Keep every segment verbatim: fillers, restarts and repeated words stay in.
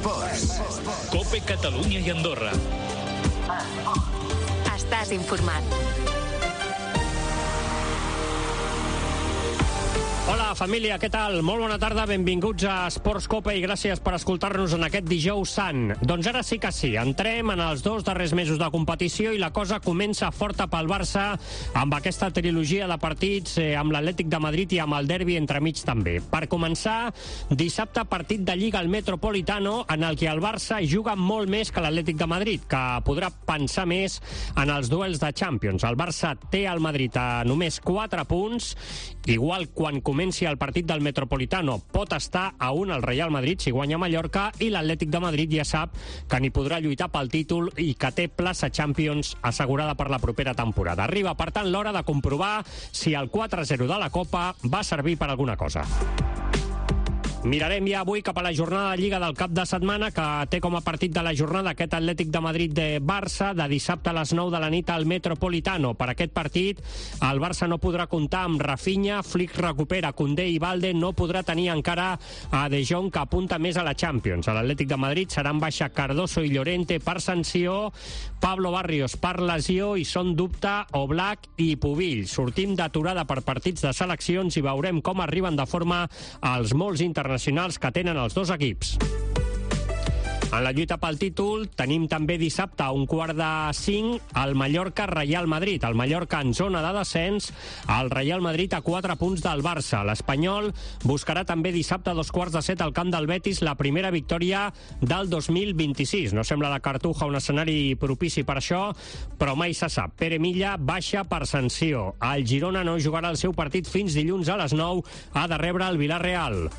Esports. COPE Catalunya i Andorra. Estàs informat. Hola, família, què tal? Molt bona tarda, benvinguts a Esports Cope i gràcies per escoltar-nos en aquest dijous sant. Doncs ara sí que sí, entrem en els dos darrers mesos de competició i la cosa comença forta pel Barça amb aquesta trilogia de partits eh, amb l'Atlètic de Madrid i amb el derbi entremig també. Per començar, dissabte partit de Lliga al Metropolitano en el que el Barça juga molt més que l'Atlètic de Madrid, que podrà pensar més en els duels de Champions. El Barça té al Madrid a només quatre punts, igual quan comenci el partit del Metropolitano pot estar a un al Real Madrid si guanya Mallorca, i l'Atlètic de Madrid ja sap que n'hi podrà lluitar pel títol i que té plaça Champions assegurada per la propera temporada. Arriba, per tant, l'hora de comprovar si el quatre a zero de la Copa va servir per alguna cosa. Mirarem ja avui cap a la jornada de Lliga del cap de setmana, que té com a partit de la jornada aquest Atlètic de Madrid de Barça, de dissabte a les nou de la nit al Metropolitano. Per aquest partit, el Barça no podrà comptar amb Rafinha, Flick recupera Koundé i Valde, no podrà tenir encara a De Jong, que apunta més a la Champions. A l'Atlètic de Madrid seran baixa Cardoso i Llorente per sanció, Pablo Barrios per lesió i són dubte Oblak i Pubill. Sortim d'aturada per partits de seleccions i veurem com arriben de forma els molts internacionals que tenen els dos equips. En la lluita pel títol tenim també dissabte a un quart de cinc el Mallorca-Real Madrid. El Mallorca en zona de descens, el Real Madrid a quatre punts del Barça. L'Espanyol buscarà també dissabte a dos quarts de set al camp del Betis la primera victòria del dos mil vint-i-sis. No sembla la Cartuja un escenari propici per això, però mai se sap. Pere Milla baixa per sanció. El Girona no jugarà el seu partit fins dilluns a les nou. Ha de rebre el Villarreal.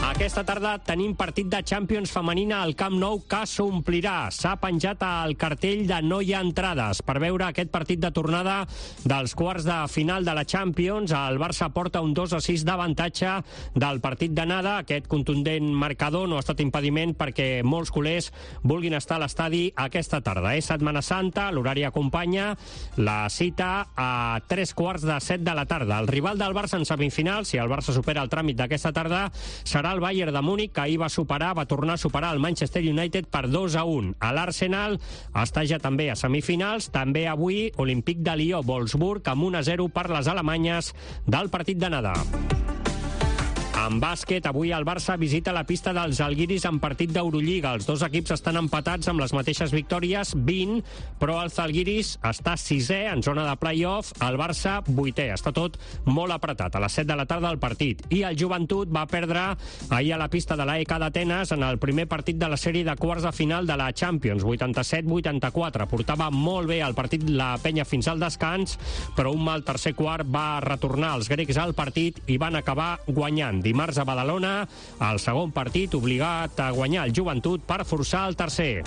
Aquesta tarda tenim partit de Champions femenina al Camp Nou que s'omplirà. S'ha penjat el cartell de no hi ha entrades per veure aquest partit de tornada dels quarts de final de la Champions. El Barça porta un dos a sis d'avantatge del partit d'anada. Aquest contundent marcador no ha estat impediment perquè molts culers vulguin estar a l'estadi aquesta tarda. És Setmana Santa, l'horari acompanya la cita a tres quarts de set de la tarda. El rival del Barça en semifinal, si el Barça supera el tràmit d'aquesta tarda, serà el Bayern de Múnich, que ahir va superar, va tornar a superar el Manchester United per dos a un. A l'Arsenal està ja també a semifinals, també avui Olímpic de Lió, Wolfsburg, amb un a zero per les alemanyes del partit d'anada. En bàsquet, avui el Barça visita la pista dels Žalgiris en partit d'Eurolliga. Els dos equips estan empatats amb les mateixes victòries, vint, però el Žalgiris està sisè en zona de play-off, el Barça vuitè. Està tot molt apretat. A les set de la tarda el partit. I el Joventut va perdre ahir a la pista de l'A E K d'Atenes en el primer partit de la sèrie de quarts de final de la Champions, vuitanta-set vuitanta-quatre. Portava molt bé el partit la penya fins al descans, però un mal tercer quart va retornar els grecs al partit i van acabar guanyant. Dimarts a Badalona, el segon partit obligat a guanyar el Joventut per forçar el tercer.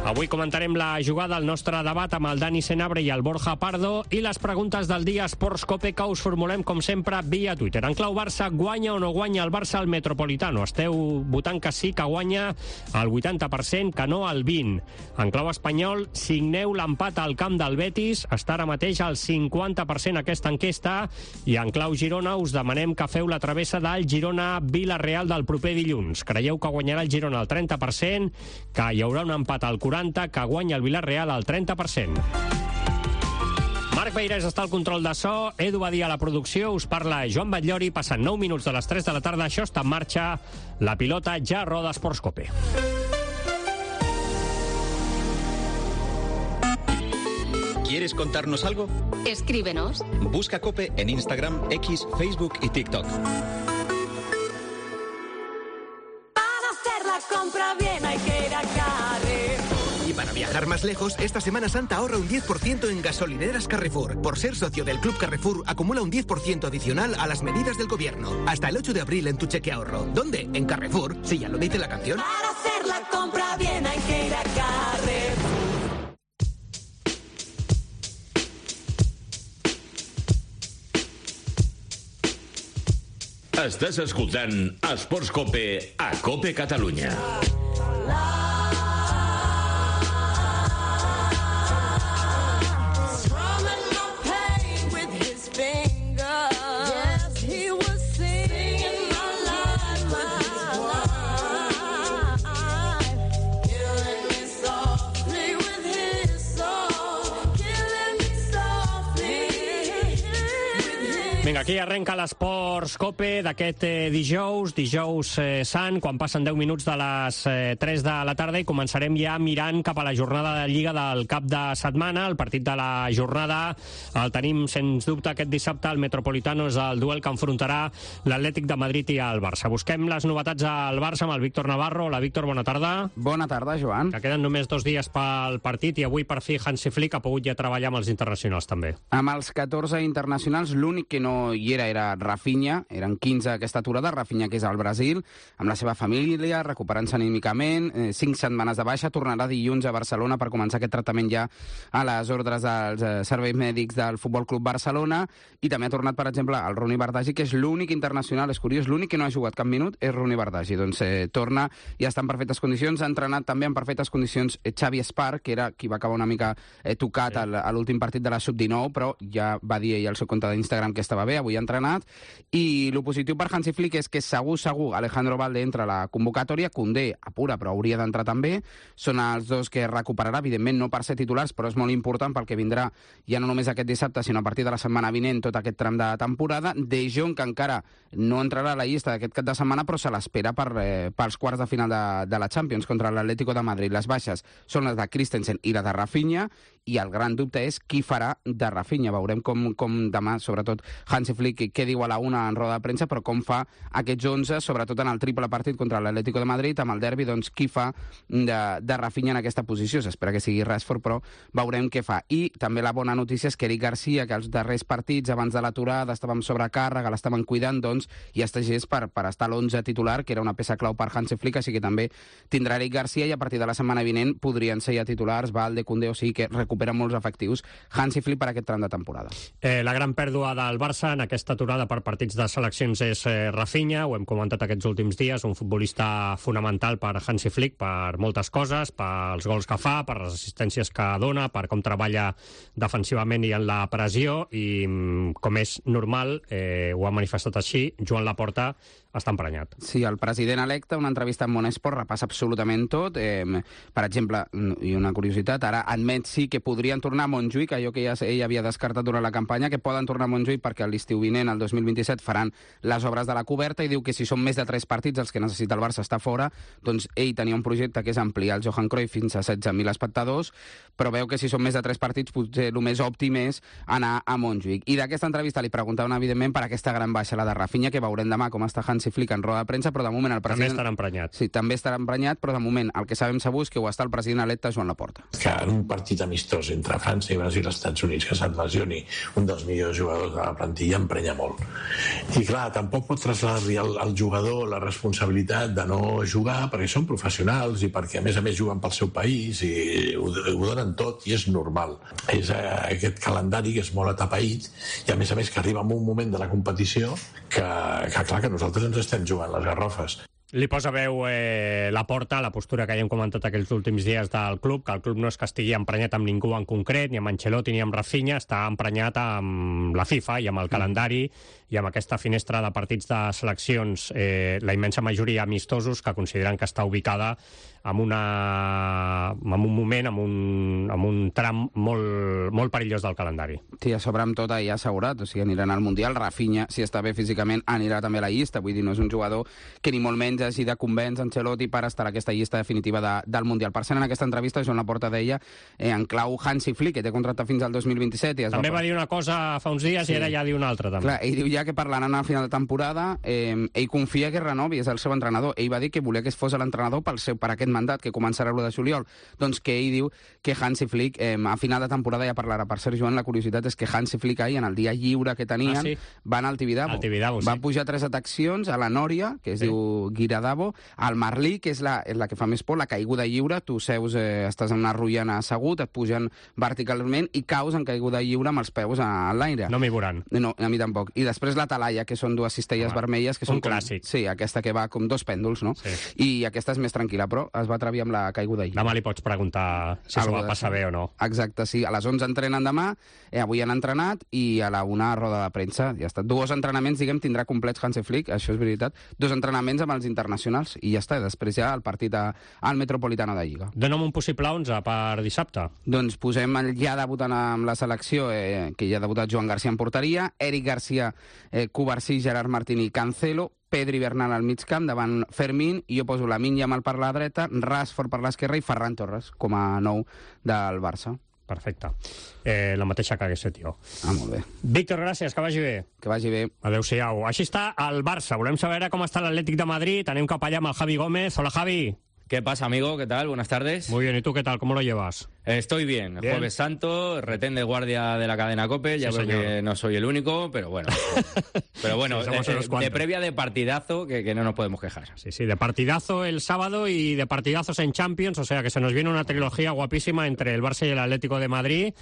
Avui comentarem la jugada al nostre debat amb el Dani Senabre i el Borja Pardo i les preguntes del dia Esports Cope que us formulem, com sempre, via Twitter. En clau Barça, guanya o no guanya el Barça al Metropolitano? Esteu votant que sí, que guanya el vuitanta per cent, que no el vint. En clau espanyol, signeu l'empat al camp del Betis, està ara mateix al cinquanta per cent aquesta enquesta, i en clau Girona us demanem que feu la travessa del Girona-Villarreal del proper dilluns. Creieu que guanyarà el Girona al trenta per cent, que hi haurà un empat al quaranta per cent, que guanya el Villarreal al trenta per cent. Marc Beirés està al control de so, Edu Badia a la producció, us parla Joan Batllori, passant nou minuts de les tres de la tarda, això està en marxa, la pilota ja roda Esports Cope. ¿Quieres contarnos algo? Escríbenos. Busca COPE en Instagram, X, Facebook y TikTok. Para hacer la compra bien hay que ir a Carrefour. Y para viajar más lejos, esta Semana Santa ahorra un diez por ciento en gasolineras Carrefour. Por ser socio del Club Carrefour, acumula un diez por ciento adicional a las medidas del gobierno. Hasta el ocho de abril en tu cheque ahorro. ¿Dónde? En Carrefour, si ya lo dice la canción. Para hacer la compra bien hay que ir a Carrefour. Estàs escoltant Esports Cope a Cope Catalunya. Yes, he was singing my life. Aquí arrenca l'Esports Cope d'aquest eh, dijous, dijous eh, sant, quan passen deu minuts de les eh, tres de la tarda i començarem ja mirant cap a la jornada de Lliga del cap de setmana. El partit de la jornada el tenim, sens dubte, aquest dissabte. El Metropolitano és el duel que enfrontarà l'Atlètic de Madrid i el Barça. Busquem les novetats al Barça amb el Víctor Navarro. Hola, Víctor, bona tarda. Bona tarda, Joan. Que queden només dos dies pel partit i avui, per fi, Hansi Flick ha pogut ja treballar amb els internacionals, també. Amb els catorze internacionals, l'únic que no hi era era Rafinha, eren quinze aquesta aturada, Rafinha que és al Brasil, amb la seva família, recuperant-se anímicament, eh, cinc setmanes de baixa, tornarà dilluns a Barcelona per començar aquest tractament ja a les ordres dels eh, serveis mèdics del Futbol Club Barcelona, i també ha tornat, per exemple, el Roni Bardghji, que és l'únic internacional, és curiós, l'únic que no ha jugat cap minut és Roni Bardghji, doncs eh, torna i està en perfectes condicions, ha entrenat també en perfectes condicions eh, Xavi Espar, que era qui va acabar una mica eh, tocat sí. al, a l'últim partit de la sub dinou, però ja va dir ell al seu compte d'Instagram que estava bé, avui ha entrenat. I el positiu per Hansi Flick és que segur, segur, Alejandro Balde entra a la convocatòria, Koundé apura, però hauria d'entrar també. Són els dos que recuperarà, evidentment no per ser titulars, però és molt important pel que vindrà ja no només aquest dissabte, sinó a partir de la setmana vinent, tot aquest tram de temporada. De Jong, que encara no entrarà a la llista d'aquest cap de setmana, però se l'espera per, eh, pels quarts de final de, de la Champions contra l'Atlético de Madrid. Les baixes són les de Christensen i la de Rafinha, i el gran dubte és qui farà de Rafinha. Veurem com, com demà, sobretot, Hansi Flick, què diu a la una en roda de premsa, però com fa aquests onze, sobretot en el triple partit contra l'Atlético de Madrid, amb el derbi, doncs qui fa de, de Rafinha en aquesta posició. S'espera que sigui Rashford, però veurem què fa. I també la bona notícia és que Eric Garcia, que els darrers partits, abans de l'aturada, estava amb sobrecàrrega, l'estaven cuidant, doncs, i està gest per, per estar a l'onze titular, que era una peça clau per Hansi Flick, així que també tindrà Eric Garcia, i a partir de la setmana vinent podrien ser ja titulars Balde, Koundé, o sigui que recuperen molts efectius Hansi Flick per aquest tram de temporada. Eh, la gran pèrdua del Barça en aquesta aturada per partits de seleccions és eh, Rafinha, ho hem comentat aquests últims dies, un futbolista fonamental per Hansi Flick per moltes coses, pels gols que fa, per les assistències que dona, per com treballa defensivament i en la pressió, i com és normal, eh, ho ha manifestat així, Joan Laporta està emprenyat. Sí, el president electe, una entrevista amb Monesport, repassa absolutament tot. Eh, per exemple, i una curiositat, ara admet sí que podrien tornar a Montjuïc, allò que ja ell havia descartat durant la campanya, que poden tornar a Montjuïc perquè l'estiu vinent, el dos mil vint-i-set, faran les obres de la coberta, i diu que si són més de tres partits els que necessita el Barça estar fora, doncs ell tenia un projecte que és ampliar el Johan Cruyff fins a setze mil espectadors, però veu que si són més de tres partits potser el més òptim és anar a Montjuïc. I d'aquesta entrevista li preguntaven, evidentment, per aquesta gran baixa, la de Rafinha, que veurem demà com està Hansi Flick en roda de premsa, però de moment el president... També estarà emprenyat. Sí, també estarà emprenyat, però de moment el que sabem segur és que ho està el president electe Joan Laporta. Que en un partit amistós entre França i Brasil i els Estats Units, que se't lesioni un dels millors jugadors de la plantilla, emprenya molt. I clar, tampoc pot traslladar-li al, al jugador la responsabilitat de no jugar, perquè són professionals i perquè a més a més juguen pel seu país i ho, ho donen tot, i és normal. És eh, aquest calendari que és molt atapeït, i a més a més que arriba en un moment de la competició que, que clar, que nosaltres ens estem jugant les garrofes. Li posa veu eh, Laporta, la postura que ja hem comentat aquells últims dies del club, que el club no és que estigui emprenyat amb ningú en concret, ni amb Ancelotti ni amb Rafinha, està emprenyat amb la FIFA i amb el calendari i amb aquesta finestra de partits de seleccions, eh, la immensa majoria amistosos, que consideren que està ubicada en, una, en un moment, en un, en un tram molt, molt perillós del calendari. Sí, a sobre amb tot ja assegurat, o sigui, aniran al Mundial. Rafinha, si està bé físicament, anirà també a la llista, vull dir, no és un jugador que ni molt menys hagi de convèncer Ancelotti per estar a aquesta llista definitiva de, del Mundial. Per cert, en aquesta entrevista, Joan Laporta deia, eh, en clau Hansi Flick, que té contracte fins al dos mil vint-i-set... I es també va... va dir una cosa fa uns dies, sí. I ara ja diu una altra, també. Clar, ell diu ja que parlaran al final de temporada, eh, ell confia que renovi, és el seu entrenador. Ell va dir que volia que es fos l'entrenador pel seu, per aquest mandat, que començarà l'u de juliol. Doncs que ell diu que Hansi Flick, eh, a final de temporada ja parlarà. Per cert, Joan, la curiositat és que Hansi Flick ahir, en el dia lliure que tenien, ah, sí? van al Tibidabo. Al Tibidabo, sí. Va pujar tres atraccions, a la Nòria, que es sí. diu Guiradabo, al Marlí, que és la, és la que fa més por, la caiguda lliure, tu seus, eh, estàs en una ruïna assegut, et pugen verticalment i caus en caiguda lliure amb els peus a, a l'aire. No m'hi veuran. No, a mi tampoc. I després la Talaia, que són dues cistelles Home, vermelles, que són un clàssic. Com, sí, aquesta que va com dos pèndols, no? Sí. I aquesta és més tranquil·la, però es va atrevir amb la caiguda lliure. Demà li pots preguntar si s'ho va passar bé o no. Exacte, sí. A les onze entrenen demà, eh, avui han entrenat, i a la una roda de premsa. Ja està. Dos entrenaments, diguem, tindrà complets Hansi Flick, això és veritat. Dos entrenaments amb els internacionals, i ja està. Després ja el partit a, al Metropolitano de Lliga. Dóna'm un possible onze per dissabte. Doncs posem el ja debutant amb la selecció, eh, que ja ha debutat Joan Garcia en porteria, Eric Garcia, eh, Covarsí, Gerard Martín i Cancelo, Pedri Bernal al mig camp, davant Fermín, i jo poso Lamine Yamal per la dreta, Rashford per l'esquerra i Ferran Torres com a nou del Barça. Perfecte. Eh, la mateixa que hagués fet jo. Ah, molt bé. Víctor, gràcies, que vagi bé. Que vagi bé. Adéu-siau. Així està el Barça. Volem saber com està l'Atlètic de Madrid. Anem cap allà amb el Javi Gómez. Hola, Javi. ¿Qué pasa, amigo? ¿Qué tal? Buenas tardes. Muy bien, ¿y tú qué tal? ¿Cómo lo llevas? Estoy bien. bien. Jueves Santo, retén de guardia de la cadena COPE. Ya sí, veo señor. que no soy el único, pero bueno. Pero bueno, sí, de, de previa de partidazo, que, que no nos podemos quejar. Sí, sí, de partidazo el sábado y de partidazos en Champions. O sea que se nos viene una trilogía guapísima entre el Barça y el Atlético de Madrid.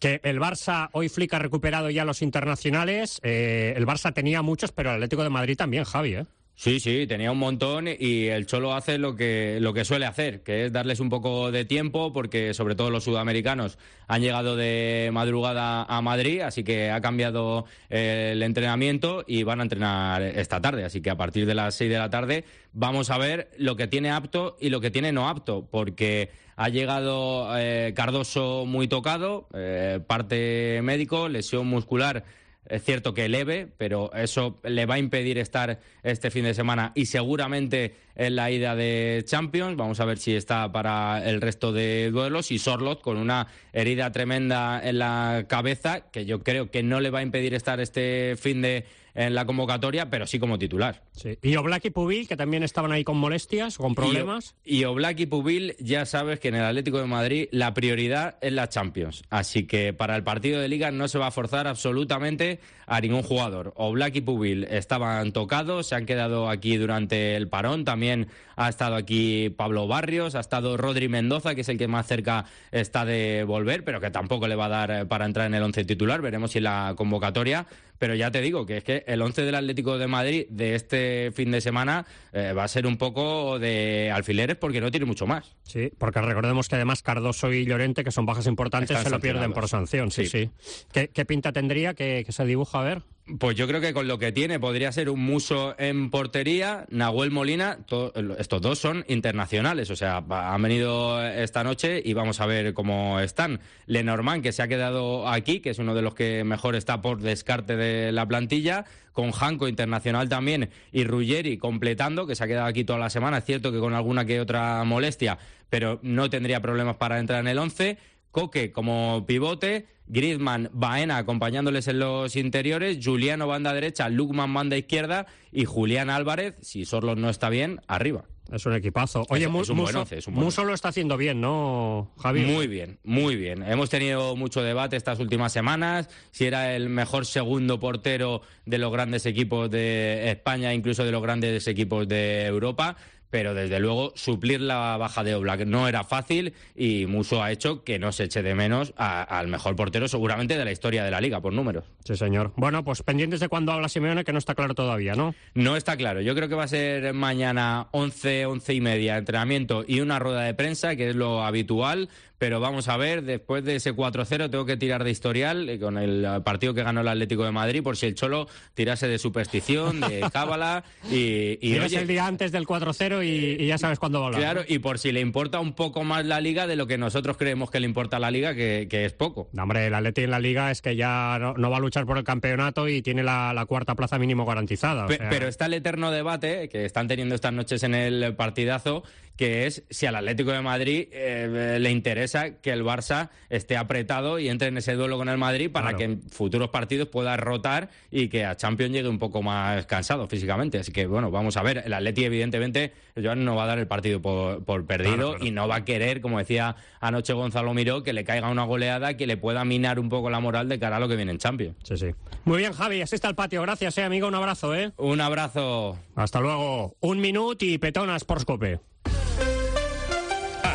Que el Barça, hoy Flick ha recuperado ya los internacionales. Eh, el Barça tenía muchos, pero el Atlético de Madrid también, Javi, ¿eh? Sí, sí, tenía un montón y el Cholo hace lo que, lo que suele hacer, que es darles un poco de tiempo, porque sobre todo los sudamericanos han llegado de madrugada a Madrid, así que ha cambiado el entrenamiento y van a entrenar esta tarde. Así que a partir de las seis de la tarde vamos a ver lo que tiene apto y lo que tiene no apto, porque ha llegado eh, Cardoso muy tocado, eh, parte médico, lesión muscular. Es cierto que leve, pero eso le va a impedir estar este fin de semana y seguramente en la ida de Champions. Vamos a ver si está para el resto de duelos. Y Sorloth con una herida tremenda en la cabeza, que yo creo que no le va a impedir estar este fin de en la convocatoria, pero sí como titular. Sí. Y Oblak y Pubil, que también estaban ahí con molestias, con problemas. Y, y Oblak y Pubil, ya sabes que en el Atlético de Madrid la prioridad es la Champions. Así que para el partido de Liga no se va a forzar absolutamente a ningún jugador. Oblak y Pubil estaban tocados, se han quedado aquí durante el parón. También ha estado aquí Pablo Barrios, ha estado Rodri Mendoza, que es el que más cerca está de volver, pero que tampoco le va a dar para entrar en el once titular. Veremos si en la convocatoria. Pero ya te digo que es que el once del Atlético de Madrid de este fin de semana eh, va a ser un poco de alfileres, porque no tiene mucho más. Sí, porque recordemos que además Cardoso y Llorente, que son bajas importantes, Están se lo pierden por sanción. Sí, sí. sí. ¿Qué, qué pinta tendría que, que se dibuja? A ver. Pues yo creo que con lo que tiene podría ser un Muso en portería, Nahuel Molina, to, estos dos son internacionales, o sea, han venido esta noche y vamos a ver cómo están. Lenormand, que se ha quedado aquí, que es uno de los que mejor está por descarte de la plantilla, con Janko internacional también y Ruggeri completando, que se ha quedado aquí toda la semana, es cierto que con alguna que otra molestia, pero no tendría problemas para entrar en el once. Coque como pivote, Griezmann, Baena acompañándoles en los interiores, Juliano banda derecha, Lukman banda izquierda y Julián Álvarez, si Sorloth no está bien, arriba. Es un equipazo. Oye, es, es un Muso, once, es un Muso lo está haciendo bien, ¿no, Javi? Muy bien, muy bien. Hemos tenido mucho debate estas últimas semanas, si era el mejor segundo portero de los grandes equipos de España, incluso de los grandes equipos de Europa. Pero desde luego suplir la baja de Oblak no era fácil y Muso ha hecho que no se eche de menos a, al mejor portero seguramente de la historia de la Liga, por números. Sí, señor. Bueno, pues pendientes de cuándo habla Simeone, que no está claro todavía, ¿no? No está claro. Yo creo que va a ser mañana once, once y media, entrenamiento y una rueda de prensa, que es lo habitual. Pero vamos a ver, después de ese cuatro cero tengo que tirar de historial eh, con el partido que ganó el Atlético de Madrid, por si el Cholo tirase de superstición, de cábala y... y oye, el día antes del cuatro cero y, y ya sabes cuándo va a hablar. Claro, ¿no? Y por si le importa un poco más la Liga de lo que nosotros creemos que le importa a la Liga, que, que es poco. No, hombre, el Atlético en la Liga es que ya no, no va a luchar por el campeonato y tiene la, la cuarta plaza mínimo garantizada. O Pe- sea... Pero está el eterno debate que están teniendo estas noches en el partidazo, que es si al Atlético de Madrid eh, le interesa que el Barça esté apretado y entre en ese duelo con el Madrid para claro. que en futuros partidos pueda rotar y que a Champions llegue un poco más cansado físicamente. Así que, bueno, vamos a ver. El Atleti, evidentemente, Joan no va a dar el partido por, por perdido claro, claro. y no va a querer, como decía anoche Gonzalo Miró, que le caiga una goleada que le pueda minar un poco la moral de cara a lo que viene en Champions. Sí, sí. Muy bien, Javi, así está el patio. Gracias, eh, amigo. Un abrazo, ¿eh? Un abrazo. Hasta luego. Un minuto y petona Sports Cope.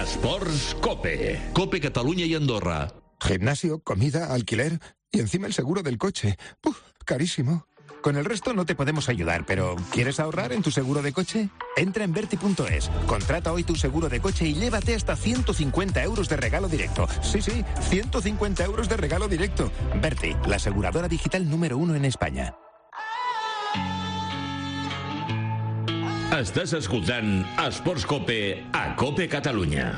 Sports Cope. Cope Cataluña y Andorra. Gimnasio, comida, alquiler y encima el seguro del coche. ¡Uf! Carísimo. Con el resto no te podemos ayudar, pero ¿quieres ahorrar en tu seguro de coche? Entra en Berti punto es, contrata hoy tu seguro de coche y llévate hasta ciento cincuenta euros de regalo directo. Sí, sí, ciento cincuenta euros de regalo directo. Berti, la aseguradora digital número uno en España. Estàs escoltant Esports Cope a Cope Catalunya.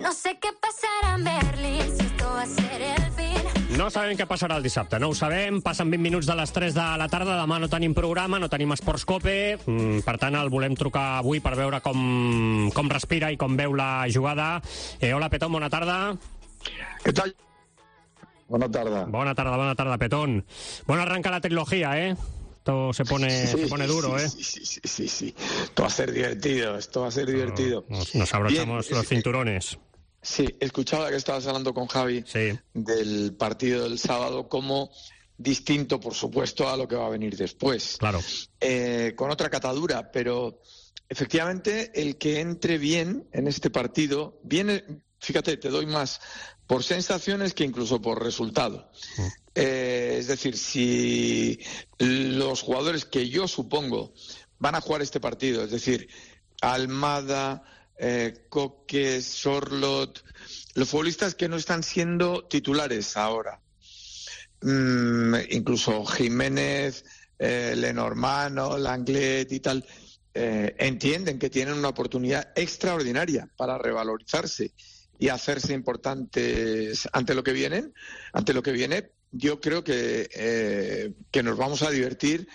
No sé qué pasará en Berlín, si esto va a ser el fin. No sabem què passarà el dissabte, no ho sabem. Passen vint minuts de les tres de la tarda, demà no tenim programa, no tenim Esports Cope, mm, per tant el volem trucar avui per veure com, com respira i com veu la jugada. Eh, hola, Petón, bona tarda. Què tal? Bona tarda. Bona tarda, bona tarda, Petón. Bueno, arranca la trilogía, ¿eh? Esto se pone, sí, se pone duro, sí, ¿eh? Sí, sí, sí, sí, sí. Esto va a ser divertido, esto va a ser divertido. Nos, nos abrochamos Bien, los es, cinturones. Sí, escuchaba que estabas hablando con Javi sí. del partido del sábado como distinto, por supuesto, a lo que va a venir después. Claro. Eh, con otra catadura, pero efectivamente el que entre bien en este partido viene, fíjate, te doy más por sensaciones que incluso por resultado. Mm. Eh, es decir, si los jugadores que yo supongo van a jugar este partido, es decir, Almada, eh, Coque, Sorlot, los futbolistas que no están siendo titulares ahora, mm, incluso Jiménez, eh, Lenormand, Langlet y tal, eh, entienden que tienen una oportunidad extraordinaria para revalorizarse y hacerse importantes ante lo que vienen, ante lo que viene. Yo creo que, eh, que nos vamos a divertir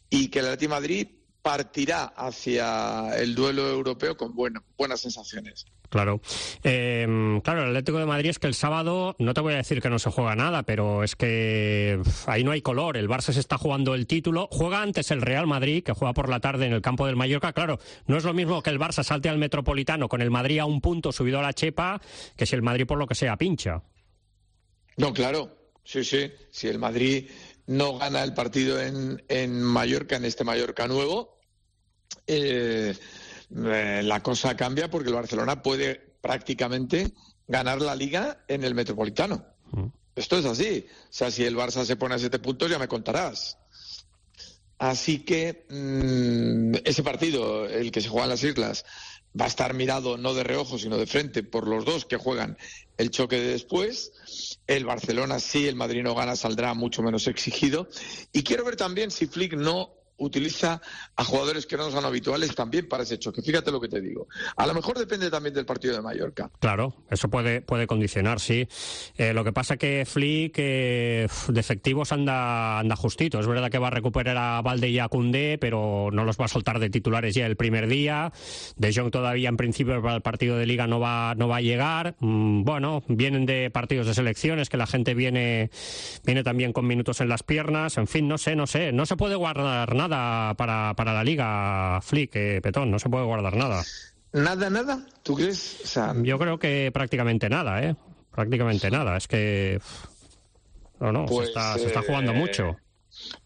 y que el Atlético de Madrid partirá hacia el duelo europeo con bueno, buenas sensaciones. Claro. Eh, claro, el Atlético de Madrid es que el sábado, no te voy a decir que no se juega nada, pero es que ahí no hay color. El Barça se está jugando el título. Juega antes el Real Madrid, que juega por la tarde en el campo del Mallorca. Claro, no es lo mismo que el Barça salte al Metropolitano con el Madrid a un punto subido a la chepa, que si el Madrid por lo que sea pincha. No, claro. Sí, sí. Si el Madrid no gana el partido en, en Mallorca, en este Mallorca nuevo, eh, eh, la cosa cambia porque el Barcelona puede prácticamente ganar la Liga en el Metropolitano. Mm. Esto es así. O sea, si el Barça se pone a siete puntos, ya me contarás. Así que mmm, ese partido, el que se juega en las Islas, va a estar mirado no de reojo, sino de frente por los dos que juegan el choque de después. El Barcelona, si el Madrid no gana, saldrá mucho menos exigido. Y quiero ver también si Flick no utiliza a jugadores que no son habituales también para ese choque. Fíjate lo que te digo. A lo mejor depende también del partido de Mallorca. Claro, eso puede puede condicionar, sí. Eh, lo que pasa que Flick eh, de efectivos anda anda justito. Es verdad que va a recuperar a Valde y a Koundé, pero no los va a soltar de titulares ya el primer día. De Jong todavía en principio para el partido de Liga no va no va a llegar. Mm, bueno, vienen de partidos de selecciones que la gente viene viene también con minutos en las piernas. En fin, no sé, no sé. No se puede guardar nada para, para la Liga, Flick, eh, Petón, no se puede guardar nada. ¿Nada, nada? ¿Tú crees? O sea... Yo creo que prácticamente nada, ¿eh? Prácticamente nada, es que... No, no, pues, se, está, eh, se está jugando mucho.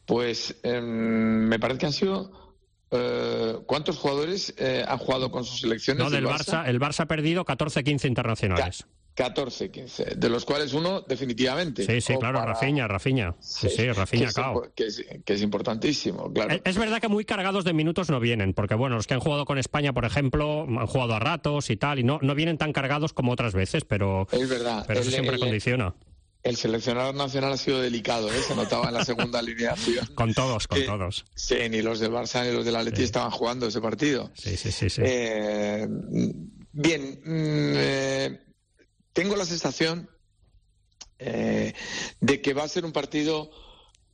Pues eh, me parece que han sido... Eh, ¿Cuántos jugadores eh, han jugado con sus selecciones? No, del Barça? Barça, el Barça ha perdido catorce quince internacionales. catorce quince, de los cuales uno definitivamente. Sí, sí, claro, para... Rafinha, Rafinha. Sí, sí, sí Rafinha, que, cao. es, que, es, que es importantísimo, claro. Es, es verdad que muy cargados de minutos no vienen, porque bueno, los que han jugado con España, por ejemplo, han jugado a ratos y tal, y no, no vienen tan cargados como otras veces, pero, es verdad. pero eso el, siempre el, condiciona. El seleccionador nacional ha sido delicado, ¿eh? Se notaba en la segunda alineación. Con todos, con que, todos. Sí, ni los del Barça ni los del Atleti sí. estaban jugando ese partido. Sí, sí, sí. sí. Eh, bien, eh, tengo la sensación eh, de que va a ser un partido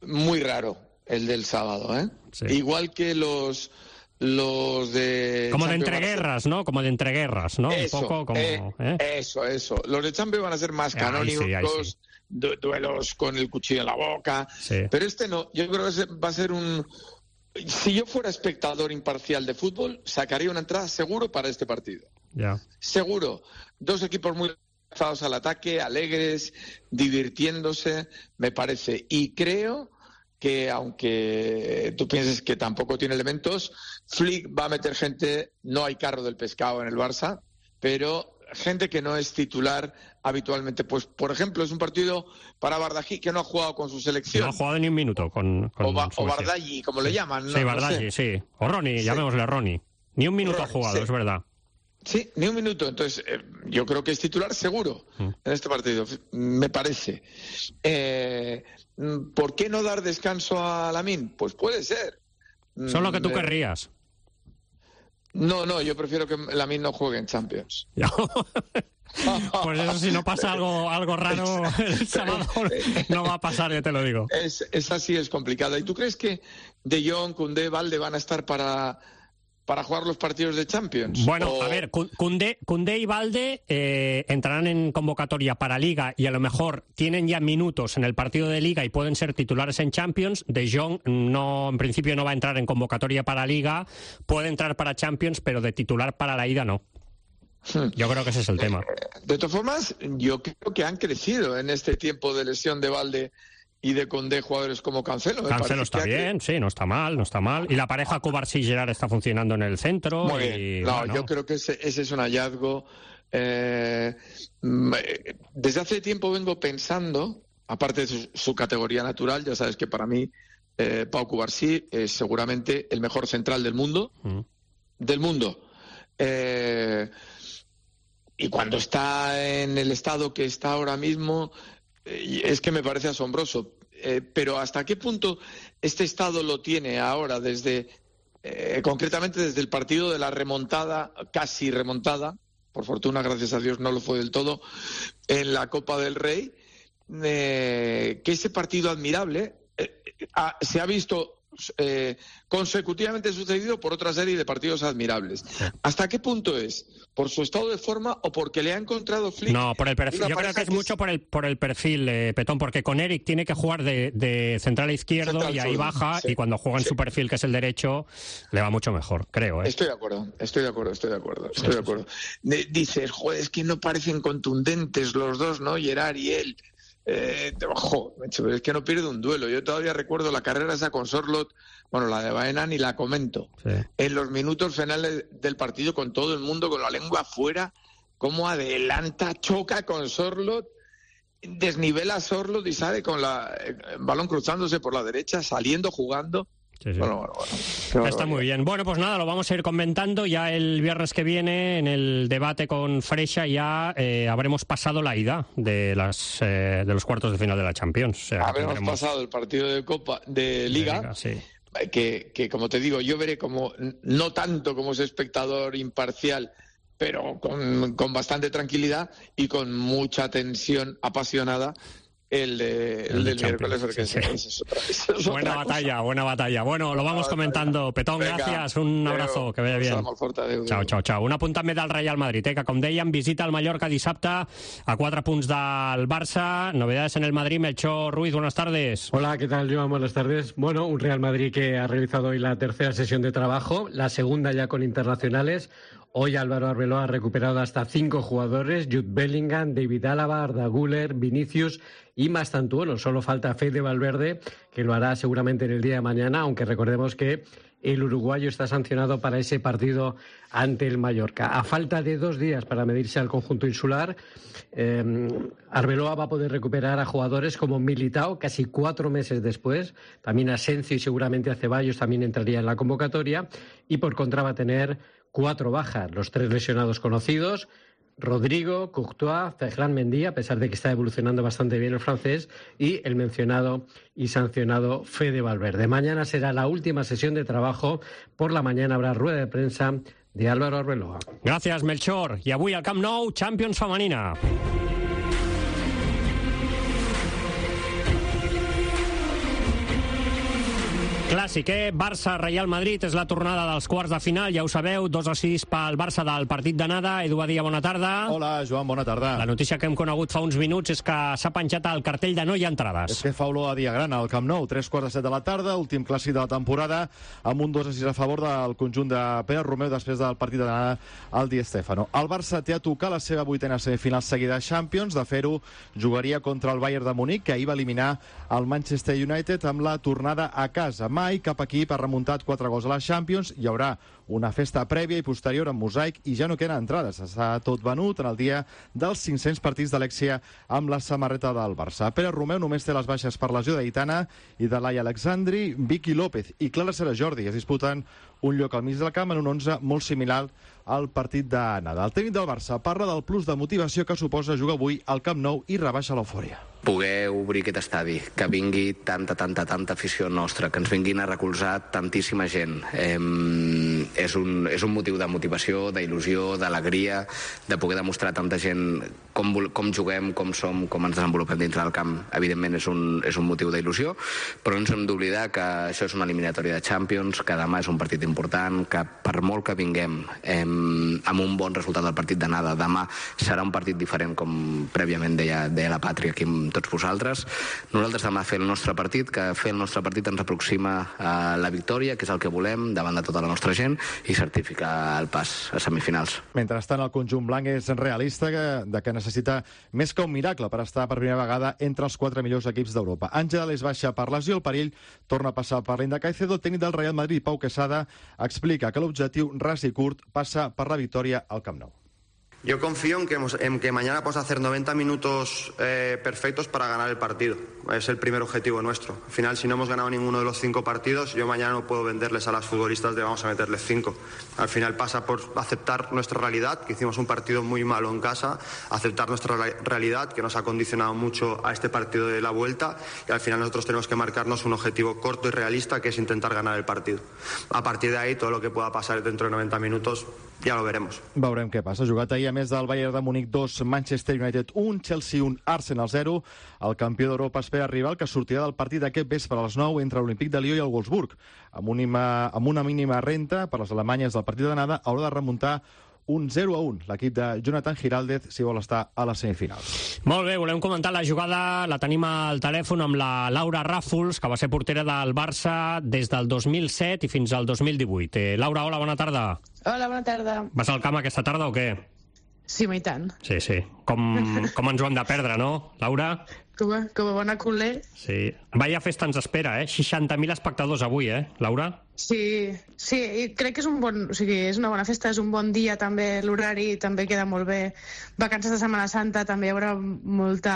muy raro el del sábado, ¿eh? Sí. Igual que los los de como de entreguerras, ¿no? Como de entreguerras, ¿no? Eso, un poco como eh, ¿eh? eso, eso. Los de Champions van a ser más canónicos, ahí sí, ahí sí. du duelos con el cuchillo en la boca, sí. Pero este no. Yo creo que va a ser un. Si yo fuera espectador imparcial de fútbol, sacaría una entrada seguro para este partido. Ya. Seguro. Dos equipos muy lanzados al ataque, alegres, divirtiéndose, me parece. Y creo que, aunque tú pienses que tampoco tiene elementos, Flick va a meter gente, no hay carro del pescado en el Barça, pero gente que no es titular habitualmente. Pues, por ejemplo, es un partido para Bardají, que no ha jugado con su selección. No ha jugado ni un minuto con, con O, ba o Bardaghi, como sí. le llaman. ¿no? Sí, Bardaghi, no sé. sí. O Ronnie, sí. Llamémosle Ronnie. Ni un minuto Ronnie, ha jugado, sí. Es verdad. Sí, ni un minuto. Entonces, eh, yo creo que es titular seguro mm. en este partido, me parece. Eh, ¿Por qué no dar descanso a Lamine? Pues puede ser. Son lo que tú querrías. No, no, yo prefiero que Lamine no juegue en Champions. Pues eso, si no pasa algo, algo raro el sábado, no va a pasar, ya te lo digo. Es, esa sí es complicada. ¿Y tú crees que De Jong, Koundé, Valde van a estar para, para jugar los partidos de Champions? Bueno, o... a ver, Koundé, Koundé y Valde eh, entrarán en convocatoria para Liga y a lo mejor tienen ya minutos en el partido de Liga y pueden ser titulares en Champions. De Jong no, en principio no va a entrar en convocatoria para Liga, puede entrar para Champions, pero de titular para la ida no. Yo creo que ese es el tema. De todas formas, yo creo que han crecido en este tiempo de lesión de Valde y de Koundé jugadores como Cancelo. Me Cancelo está bien, sí, no está mal, no está mal. Y la pareja Cubarsí-Gerrard está funcionando en el centro. Muy bien. Y, no, bueno. Yo creo que ese, ese es un hallazgo. Eh, desde hace tiempo vengo pensando, aparte de su, su categoría natural, ya sabes que para mí eh, Pau Cubarsí es seguramente el mejor central del mundo. Mm. Del mundo. Eh, y cuando está en el estado que está ahora mismo, eh, es que me parece asombroso. Eh, pero ¿hasta qué punto este estado lo tiene ahora, desde eh, concretamente desde el partido de la remontada, casi remontada, por fortuna, gracias a Dios, no lo fue del todo, en la Copa del Rey, eh, que ese partido admirable eh, ha, se ha visto Eh, consecutivamente sucedido por otra serie de partidos admirables. ¿Hasta qué punto es? ¿Por su estado de forma o porque le ha encontrado Flick? No, por el perfil. Yo creo que es, que es mucho por el por el perfil, eh, Petón, porque con Eric tiene que jugar de, de central izquierdo central y ahí sur, baja, sí. Y cuando juega en sí. su perfil, que es el derecho, le va mucho mejor, creo. ¿eh? Estoy de acuerdo, estoy de acuerdo, estoy de acuerdo, estoy de acuerdo. Dices, joder, es que no parecen contundentes los dos, ¿no? Gerrard y él. Eh, ojo, es que no pierde un duelo. Yo todavía recuerdo la carrera esa con Sorloth, bueno, la de Baena ni la comento. Sí. En los minutos finales del partido, con todo el mundo con la lengua afuera, cómo adelanta, choca con Sorloth, desnivela a Sorloth y sale con la, el balón cruzándose por la derecha, saliendo, jugando. Sí, sí. Bueno, bueno, bueno. Está muy bien. Bueno, pues nada, lo vamos a ir comentando. Ya el viernes que viene, en el debate con Freixa, ya eh, habremos pasado la ida de las eh, de los cuartos de final de la Champions. O sea, habremos tendremos... pasado el partido de Copa de Liga, de Liga sí. que, que, como te digo, yo veré como, no tanto como ese espectador imparcial, pero con, con bastante tranquilidad y con mucha tensión apasionada, el, de, el, el del miércoles, porque sí, sí. Es otra, es otra buena cosa. batalla, buena batalla. Bueno, lo vamos comentando. Petón, venga, gracias, un abrazo, que vaya bien. Chao, chao, chao. Un apunt també del Real Madrid, eh, que com dèiem, visita el Mallorca dissabte a quatre punts del Barça. Novedades en el Madrid, Melchor Ruiz, buenas tardes. Hola, ¿qué tal, Joan? Buenas tardes. Bueno, un Real Madrid que ha realizado hoy la tercera sesión de trabajo, la segunda ya con internacionales. Hoy Álvaro Arbeloa ha recuperado hasta cinco jugadores: Jude Bellingham, David Álava, Arda Güler, Vinicius y Mastantuono. Solo falta Fede Valverde, que lo hará seguramente en el día de mañana, aunque recordemos que el uruguayo está sancionado para ese partido ante el Mallorca. A falta de dos días para medirse al conjunto insular, eh, Arbeloa va a poder recuperar a jugadores como Militao casi cuatro meses después, también Asensio y seguramente a Ceballos también entraría en la convocatoria, y por contra va a tener cuatro bajas, los tres lesionados conocidos: Rodrigo, Courtois, Ferland Mendy, a pesar de que está evolucionando bastante bien el francés, y el mencionado y sancionado Fede Valverde. Mañana será la última sesión de trabajo. Por la mañana habrá rueda de prensa de Álvaro Arbeloa. Gracias, Melchor. I avui al Camp Nou, Champions femenina. Clàssic, eh? Barça-Real Madrid és la tornada dels quarts de final, ja ho sabeu, dos a sis pel Barça del partit d'anada. Edu Badia, bona tarda. Hola, Joan, bona tarda. La notícia que hem conegut fa uns minuts és que s'ha penjat el cartell de no hi ha entrades. És que fa olor a dia gran al Camp Nou, tres quarts de set de la tarda, últim clàssic de la temporada, amb un dos a sis a favor del conjunt de Pere Romeu després del partit d'anada al Di Stéfano. El Barça té a tocar la seva vuitena semifinal seguida a Champions. De fer-ho, jugaria contra el Bayern de Munic, que ahir va eliminar el Manchester United amb la tornada a casa. Mai cap equip ha remuntat quatre gols a la Champions. Hi haurà una festa prèvia i posterior amb mosaic i ja no queden entrades. Està tot venut en el dia dels cinc-cents partits d'Alexia amb la samarreta del Barça. Pere Romeu només té les baixes per lesió d'Aitana i de Laia Alexandri. Vicky López i Clara Serajordi es disputen un lloc al mig del camp en un onze molt similar al partit d'anada. El tècnic del Barça parla del plus de motivació que suposa jugar avui al Camp Nou i rebaixa l'eufòria. Poder obrir aquest estadi, que vingui tanta, tanta, tanta afició nostra, que ens vinguin a recolzar tantíssima gent. Eh, és, un, és un motiu de motivació, d'il·lusió, d'alegria, de poder demostrar a tanta gent com, com juguem, com som, com ens desenvolupem dintre del camp. Evidentment és un, és un motiu d'il·lusió, però no ens hem d'oblidar que això és una eliminatòria de Champions, que demà és un partit important, que per molt que vinguem eh, amb un bon resultat del partit d'anada, demà serà un partit diferent, com prèviament deia, deia la Pàtria aquí amb tots vosaltres. Nosaltres demà fer el nostre partit, que fer el nostre partit ens aproxima a la victòria, que és el que volem davant de tota la nostra gent, i certificar el pas a semifinals. Mentrestant, el conjunt blanc és realista que, de que necessita més que un miracle per estar per primera vegada entre els quatre millors equips d'Europa. Àngel és baixa per lesió, el perill torna a passar per l'Inda Caicedo. El tècnic del Real Madrid, Pau Quesada, explica que l'objectiu ras i curt passa per la victòria al Camp Nou. Yo confío en que, en que mañana podamos hacer noventa minutos eh, perfectos para ganar el partido. Es el primer objetivo nuestro. Al final, si no hemos ganado ninguno de los cinco partidos, yo mañana no puedo venderles a las futbolistas de vamos a meterles cinco. Al final pasa por aceptar nuestra realidad, que hicimos un partido muy malo en casa, aceptar nuestra realidad, que nos ha condicionado mucho a este partido de la vuelta, y al final nosotros tenemos que marcarnos un objetivo corto y realista, que es intentar ganar el partido. A partir de ahí, todo lo que pueda pasar dentro de noventa minutos, ja lo veremos. Veurem què passa. Jugat ahir, a més del Bayern de Múnich dos, Manchester United un, Chelsea un, Arsenal zero. El campió d'Europa espera rival que sortirà del partit d'aquest vespre a les nou entre l'Olímpic de Lió i el Wolfsburg. Amb una, amb una mínima renta per les alemanyes del partit d'anada, haurà de remuntar un zero a un. L'equip de Jonathan Giraldez, si vol estar a les semifinals. Molt bé, volem comentar la jugada, la tenim al telèfon amb la Laura Ràfols, que va ser portera del Barça des del dos mil set i fins al dos mil divuit. Eh, Laura, hola, bona tarda. Hola, bona tarda. Vas al camp aquesta tarda o què? Sí, i tant. Sí, sí. Com, com ens ho hem de perdre, no, Laura? Com a, com a bona culer. Sí. Vaya festa ens espera, eh? seixanta mil espectadors avui, eh, Laura? Sí, sí, i crec que és un bon, o sigui, és una bona festa, és un bon dia també, l'horari també queda molt bé. Vacances de Setmana Santa també hi haurà molta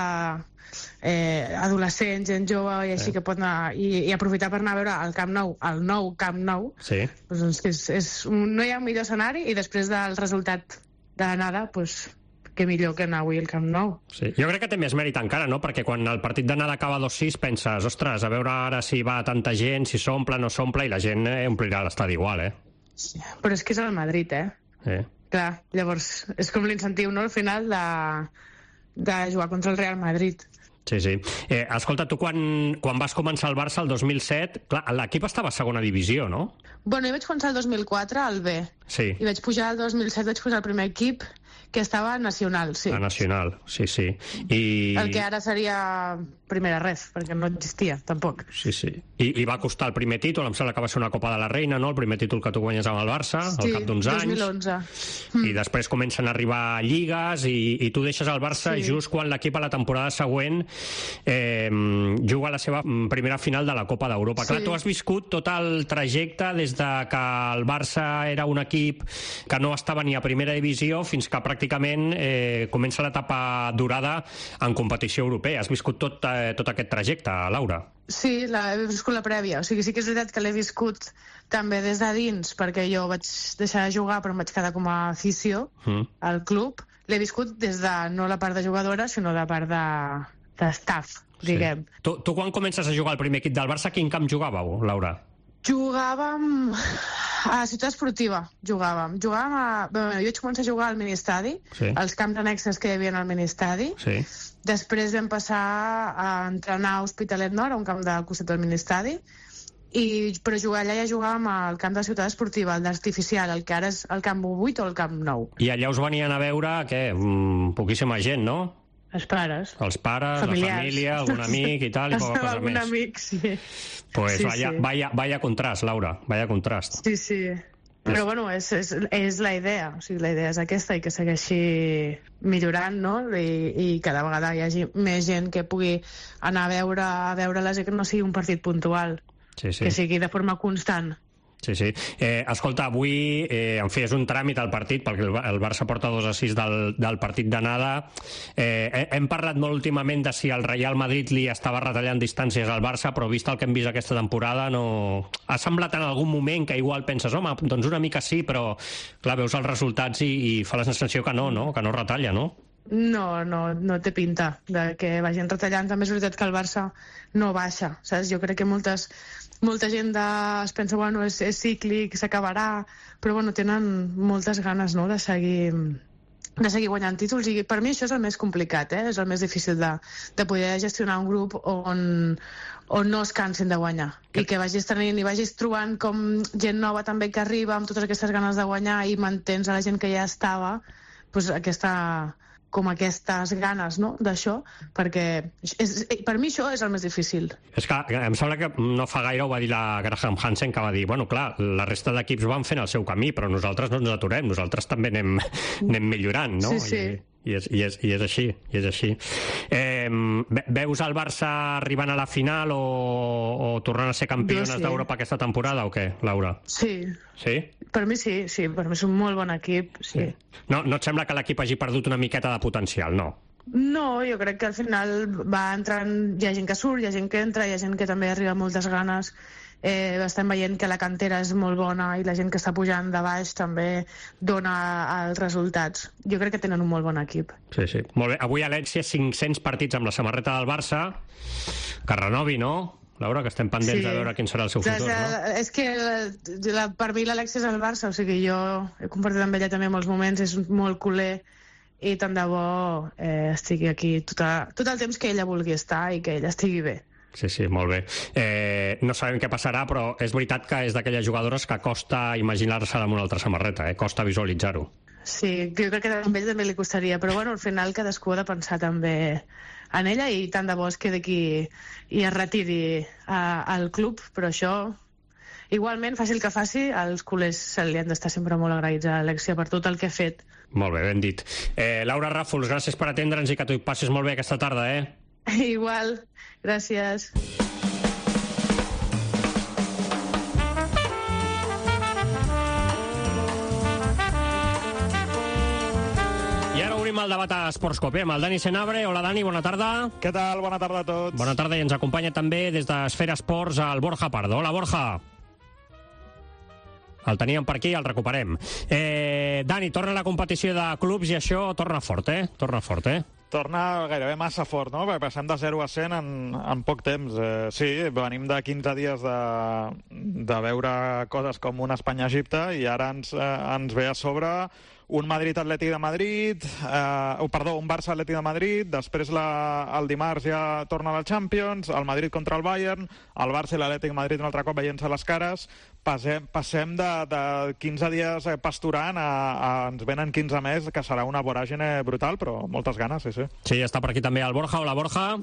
eh, adolescents, gent jove, i així sí. que pot anar i, i aprofitar per anar a veure el Camp Nou, el nou Camp Nou. Sí. Doncs és, és un, no hi ha millor escenari, i després del resultat de l'anada, doncs que millor que anar avui al Camp Nou. Sí. Jo crec que té més mèrit encara, no? Perquè quan el partit d'anada acaba dos sis penses, ostres, a veure ara si va tanta gent, si s'omple o no s'omple, i la gent eh, omplirà l'estadi igual, eh? Sí. Però és que és el Madrid, eh? Sí. Clar, llavors és com l'incentiu, no?, al final de, de jugar contra el Real Madrid. Sí, sí. Eh, escolta, tu quan, quan vas començar al Barça el dos mil set, clar, l'equip estava a segona divisió, no? Bueno, jo vaig començar el dos mil quatre al B. Sí. I vaig pujar el dos mil set, vaig posar el primer equip, que estava a Nacional, sí. A Nacional, sí, sí. I... El que ara seria Primera Ref, perquè no existia, tampoc. Sí, sí. I, I va costar el primer títol, em sembla que va ser una Copa de la Reina, no?, el primer títol que tu guanyes amb el Barça, sí, al cap d'uns anys. dos mil onze. Mm. I després comencen a arribar lligues i, i tu deixes el Barça sí. just quan l'equip a la temporada següent eh, juga la seva primera final de la Copa d'Europa. Sí. Clar, tu has viscut tot el trajecte des de que el Barça era un equip que no estava ni a primera divisió fins que pràcticament eh, comença l'etapa dorada en competició europea. Has viscut tot, eh, tot aquest trajecte, Laura? Sí, la, he viscut la prèvia. O sigui, sí que és veritat que l'he viscut també des de dins, perquè jo vaig deixar de jugar però em vaig quedar com a afició mm. al club. L'he viscut des de, no la part de jugadora, sinó de part de, de staff, diguem. Sí. Tu, tu quan comences a jugar al primer equip del Barça, quin camp jugàveu, Laura? Jugàvem a Ciutat Esportiva, jugàvem. Jugàvem a... Bé, jo vaig començar a jugar al ministadi, sí. als camps annexes que hi havia al ministadi. Sí. Després vam passar a entrenar a Hospitalet Nord, a un camp del costat del ministadi, i, però jugar allà ja jugàvem al camp de Ciutat Esportiva, el d'artificial, el que ara és el camp vuit o el camp nou. I allà us venien a veure, què, mm, poquíssima gent, no? Els pares. Els pares, familiars. La família, algun amic i tal, i poca cosa algun més. Algun amic, sí. Pues sí, vaya, sí. Vaya, vaya contrast, Laura, vaya contrast. Sí, sí. Però bueno, és, és, és la idea, o sigui, la idea és aquesta i que segueixi millorant, no? I, i cada vegada hi hagi més gent que pugui anar a veure a veure-les i que no sigui un partit puntual, sí, sí. que sigui de forma constant. Sí, sí. Eh, escolta, avui, eh, en fi, és un tràmit al partit, perquè el, el Barça porta dos a sis del, del partit d'anada. Eh, hem parlat molt últimament de si el Real Madrid li estava retallant distàncies al Barça, però vist el que hem vist aquesta temporada, no... Ha semblat en algun moment que igual penses, home, doncs una mica sí, però clar, veus els resultats i, i fa la sensació que no, no? Que no retalla, no? No, no, no té pinta de que vagin retallant. També és veritat que el Barça no baixa, saps? Jo crec que moltes molta gent de, es pensa, bueno, és, és cíclic, s'acabarà, però bueno, tenen moltes ganes, no?, de seguir de seguir guanyant títols, i per mi això és el més complicat, eh? És el més difícil de, de poder gestionar un grup on, on no es cansin de guanyar, i que vagis tenint i vagis trobant com gent nova també que arriba amb totes aquestes ganes de guanyar i mantens a la gent que ja estava, doncs aquesta, com aquestes ganes, no?, d'això, perquè és, per mi això és el més difícil. És que em sembla que no fa gaire ho va dir la Graham Hansen, que va dir, bueno, clar, la resta d'equips van fent el seu camí, però nosaltres no ens aturem, nosaltres també anem, anem millorant, no? Sí, sí. I, i, és, i, és, i és així, i és així. Eh, veus el Barça arribant a la final o, o tornant a ser campiones sí. d'Europa aquesta temporada o què, Laura? Sí. Sí? Per mi sí, sí, per mi és un molt bon equip, sí. sí. No, no et sembla que l'equip hagi perdut una miqueta de potencial, no? No, jo crec que al final va entrant, hi ha gent que surt, hi ha gent que entra, hi ha gent que també arriba amb moltes ganes. Eh, estem veient que la cantera és molt bona i la gent que està pujant de baix també dona els resultats. Jo crec que tenen un molt bon equip. Sí, sí. Molt bé. Avui a Lènsia cinc-cents partits amb la samarreta del Barça. Que renovi, no? Laura, que estem pendents sí. de veure quin serà el seu futur, la, no? És que la, la, per mi l'Alexia és el Barça, o sigui, jo he compartit amb ella també molts moments, és molt culer, i tant de bo eh, estigui aquí tot, a, tot el temps que ella vulgui estar i que ella estigui bé. Sí, sí, molt bé. Eh, no sabem què passarà, però és veritat que és d'aquelles jugadores que costa imaginar-se-la amb una altra samarreta, eh? Costa visualitzar-ho. Sí, jo crec que a ell també li costaria, però bueno, al final cadascú ha de pensar també en ella, i tant de bo es quedi aquí i es retiri a, al club, però això, igualment, fàcil que faci, els culers se li han d'estar sempre molt agraïts a Alexia per tot el que ha fet. Molt bé, ben dit. Eh, Laura Ràfols, gràcies per atendre'ns i que t'ho passis molt bé aquesta tarda, eh? Igual, gràcies. I ara obrim el debat a Esportscope amb el Dani Senabre. Hola, Dani, bona tarda. Què tal? Bona tarda a tots. Bona tarda, i ens acompanya també des d'Esfera Esports el Borja Pardo. Hola, Borja. El teníem per aquí, el recuperem. Eh, Dani, torna la competició de clubs i això torna fort, eh? Torna fort, eh? Torna gairebé massa fort, no? Perquè passem de zero a cent en, en poc temps. Eh, sí, venim de quinze dies de, de veure coses com un Espanya-Egipte i ara ens, eh, ens ve a sobre un Madrid-Atlètic de Madrid, eh, oh, perdó, un Barça-Atlètic de Madrid, després la, el dimarts ja torna a la Champions, el Madrid contra el Bayern, el Barça i l'Atlètic de Madrid un altre cop veient-se les cares, passem, passem de, de quinze dies pasturant a, a ens venen quinze més, que serà una voràgine brutal, però moltes ganes, sí, sí. Sí, està per aquí també el Borja. Hola, Borja.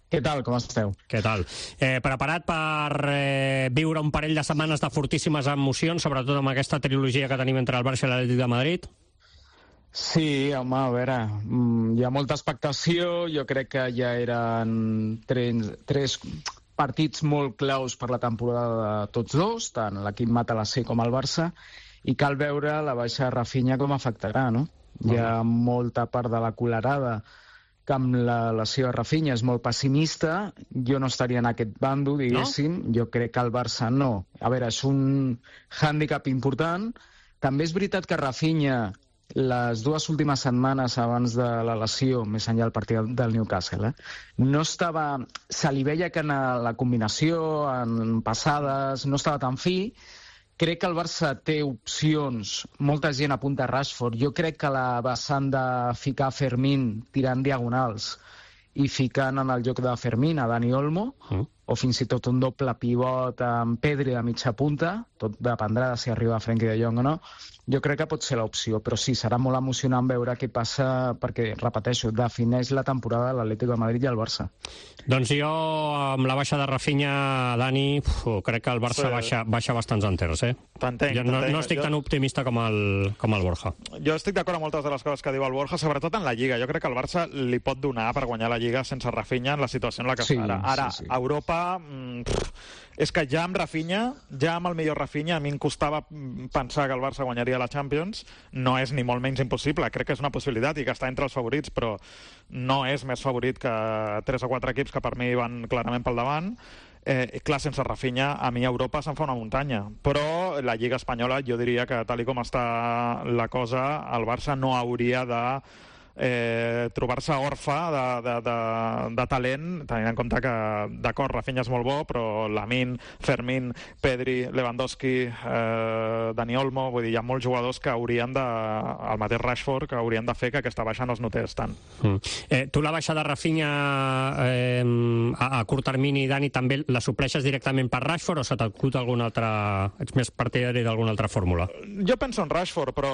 Què tal, com esteu? Què tal? Eh, preparat per eh, viure un parell de setmanes de fortíssimes emocions, sobretot amb aquesta trilogia que tenim entre el Barça i l'Atlètic de Madrid? Sí, home, a veure, hi ha molta expectació, jo crec que ja eren tres, tres partits molt claus per la temporada de tots dos, tant l'equip Mata-la-C com el Barça, i cal veure la baixa de Rafinha com afectarà, no? Hi ha molta part de la colerada que amb la lesió de Rafinha és molt pessimista. Jo no estaria en aquest bando, diguéssim. No? Jo crec que el Barça no. A veure, és un hàndicap important. També és veritat que Rafinha, les dues últimes setmanes abans de la lesió, més enllà del partit del Newcastle, eh, no estava... Se li veia que en la combinació, en passades, no estava tan fi. Crec que el Barça té opcions, molta gent apunta a Rashford, jo crec que la vessant de ficar Fermín tirant diagonals i ficant en el lloc de Fermín a Dani Olmo, mm. o fins i tot un doble pivot amb Pedri de mitja punta, tot dependrà de si arriba Frenkie de Jong o no, jo crec que pot ser l'opció, però sí, serà molt emocionant veure què passa, perquè, repeteixo, defineix la temporada de l'Atlético de Madrid i el Barça. Doncs jo, amb la baixa de Rafinha, Dani, uf, crec que el Barça sí. baixa, baixa bastants enters, eh? T'entenc, jo no, no estic jo... tan optimista com el, com el Borja. Jo estic d'acord amb moltes de les coses que diu el Borja, sobretot en la Lliga. Jo crec que el Barça li pot donar per guanyar la Lliga sense Rafinha en la situació en la que sí, està ara. Ara, sí, sí. a Europa... Mm, pff, és que ja amb Rafinha, ja amb el millor Rafinha, a mi em costava pensar que el Barça guanyaria la Champions. No és ni molt menys impossible, crec que és una possibilitat i que està entre els favorits, però no és més favorit que tres o quatre equips que per mi van clarament pel davant. Eh, clar, sense Rafinha, a mi Europa se'n fa una muntanya. Però la Lliga Espanyola, jo diria que tal i com està la cosa, el Barça no hauria de eh, trobar-se orfe de, de, de, de talent, tenint en compte que, d'acord, Rafinha és molt bo, però Lamine, Fermín, Pedri, Lewandowski, eh, Dani Olmo, vull dir, hi ha molts jugadors que haurien de, el mateix Rashford, que haurien de fer que aquesta baixa no es notés tant. Mm. Eh, tu la baixa de Rafinha eh, a, a curt termini, Dani, també la supleixes directament per Rashford o se t'acut alguna altra... ets més partidari d'alguna altra fórmula? Jo penso en Rashford, però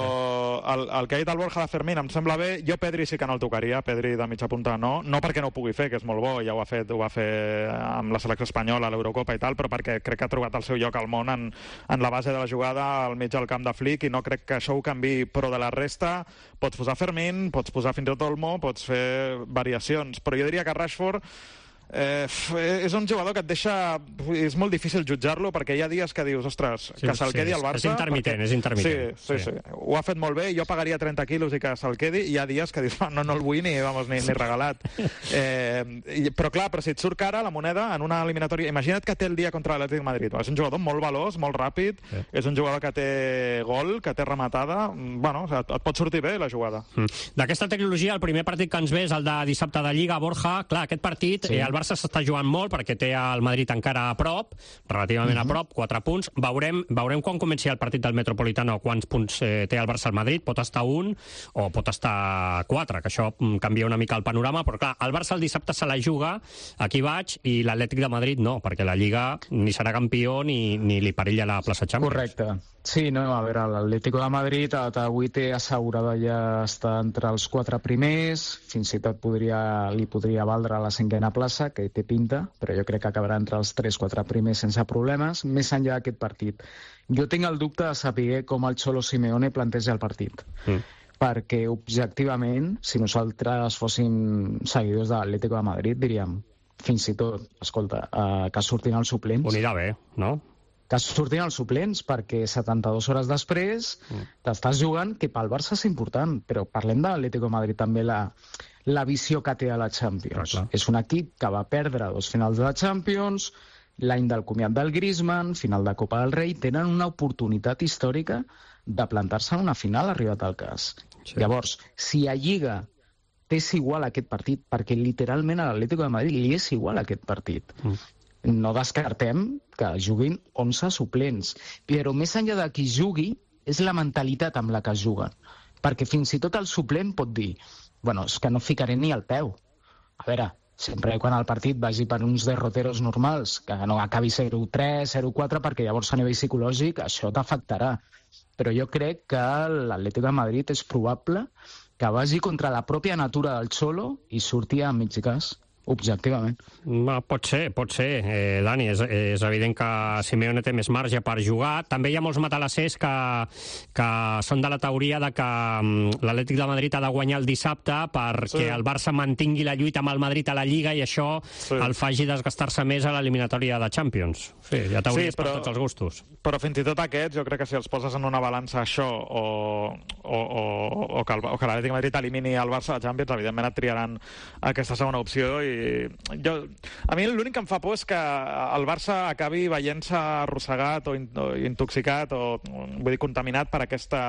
el, el que ha dit el Borja de Fermín em sembla bé. Jo Pedri sí que no el tocaria, Pedri de mitja punta no, no perquè no ho pugui fer, que és molt bo, ja ho ha fet, ho va fer amb la selecció espanyola a l'Eurocopa i tal, però perquè crec que ha trobat el seu lloc al món en, en la base de la jugada al mig del camp de Flick i no crec que això ho canvi, però de la resta pots posar Fermín, pots posar fins i tot Olmo, pots fer variacions, però jo diria que Rashford Eh, és un jugador que et deixa... És molt difícil jutjar-lo perquè hi ha dies que dius, ostres, sí, que se'l quedi al Barça... És intermitent, perquè... és intermitent. Sí, sí, sí, sí. Ho ha fet molt bé, jo pagaria trenta quilos i que se'l quedi, i hi ha dies que dius, no, no el vull ni, vamos, ni, ni regalat. Eh, i, però clar, però si et surt cara la moneda en una eliminatòria... Imagina't que té el dia contra l'Atlètic de Madrid. És un jugador molt veloç, molt ràpid, sí. És un jugador que té gol, que té rematada... Bueno, et, et pot sortir bé la jugada. Mm. D'aquesta tecnologia, el primer partit que ens ve és el de dissabte de Lliga, Borja. Clar, aquest partit, sí. eh, el Barça s'està jugant molt perquè té el Madrid encara a prop, relativament uh-huh. a prop, quatre punts. Veurem, veurem quan comenci el partit del Metropolitano quants punts eh, té el Barça al Madrid. Pot estar un o pot estar quatre, que això canvia una mica el panorama, però clar, el Barça el dissabte se la juga, aquí vaig, i l'Atlètic de Madrid no, perquè la Lliga ni serà campió ni, ni li perilla la plaça Champions. Correcte. Sí, no, a veure, l'Atlético de Madrid avui té assegurada ja estar entre els quatre primers, fins i tot podria, li podria valdre la cinquena plaça, que té pinta, però jo crec que acabarà entre els tres quatre primers sense problemes, més enllà d'aquest partit. Jo tinc el dubte de saber com el Cholo Simeone planteja el partit, mm. perquè objectivament, si nosaltres fóssim seguidors de l'Atlético de Madrid, diríem, fins i tot, escolta, uh, que surtin els suplents. Ho anirà bé, no? Que surtin els suplents, perquè setanta-dues hores després mm. t'estàs jugant, que pel Barça és important, però parlem de l'Atlético de Madrid també, la, la visió que té a la Champions. Clar, clar. És un equip que va perdre dos finals de la Champions, l'any del comiat del Griezmann, final de Copa del Rei, tenen una oportunitat històrica de plantar-se en una final arribat al cas. Sí. Llavors, si a Lliga t'és igual aquest partit, perquè literalment a l'Atlético de Madrid li és igual aquest partit, mm. no descartem que juguin onze suplents, però més enllà de qui jugui és la mentalitat amb la que juguen, perquè fins i tot el suplent pot dir, bueno, és que no ficaré ni el peu. A veure, sempre quan el partit vagi per uns derroteros normals, que no acabi zero tres, zero quatre, perquè llavors a nivell psicològic això t'afectarà. Però jo crec que l'Atlètic de Madrid és probable que vagi contra la pròpia natura del Cholo i surti a mig gas. Objectivament. Va, pot ser, pot ser, eh, Dani. És, és evident que Simeone té més marge per jugar. També hi ha molts matalassers que, que són de la teoria de que l'Atlètic de Madrid ha de guanyar el dissabte perquè sí. el Barça mantingui la lluita amb el Madrid a la Lliga i això sí. el faci desgastar-se més a l'eliminatòria de Champions. Sí, hi ha teories sí, però, per tots els gustos. Però fins i tot aquests, jo crec que si els poses en una balança això o, o, o, o que, el, o que l'Atlètic de Madrid elimini el Barça a la Champions, evidentment et triaran aquesta segona opció i jo, a mi l'únic que em fa por és que el Barça acabi veient-se arrossegat o, in, o intoxicat o, vull dir, contaminat per aquesta,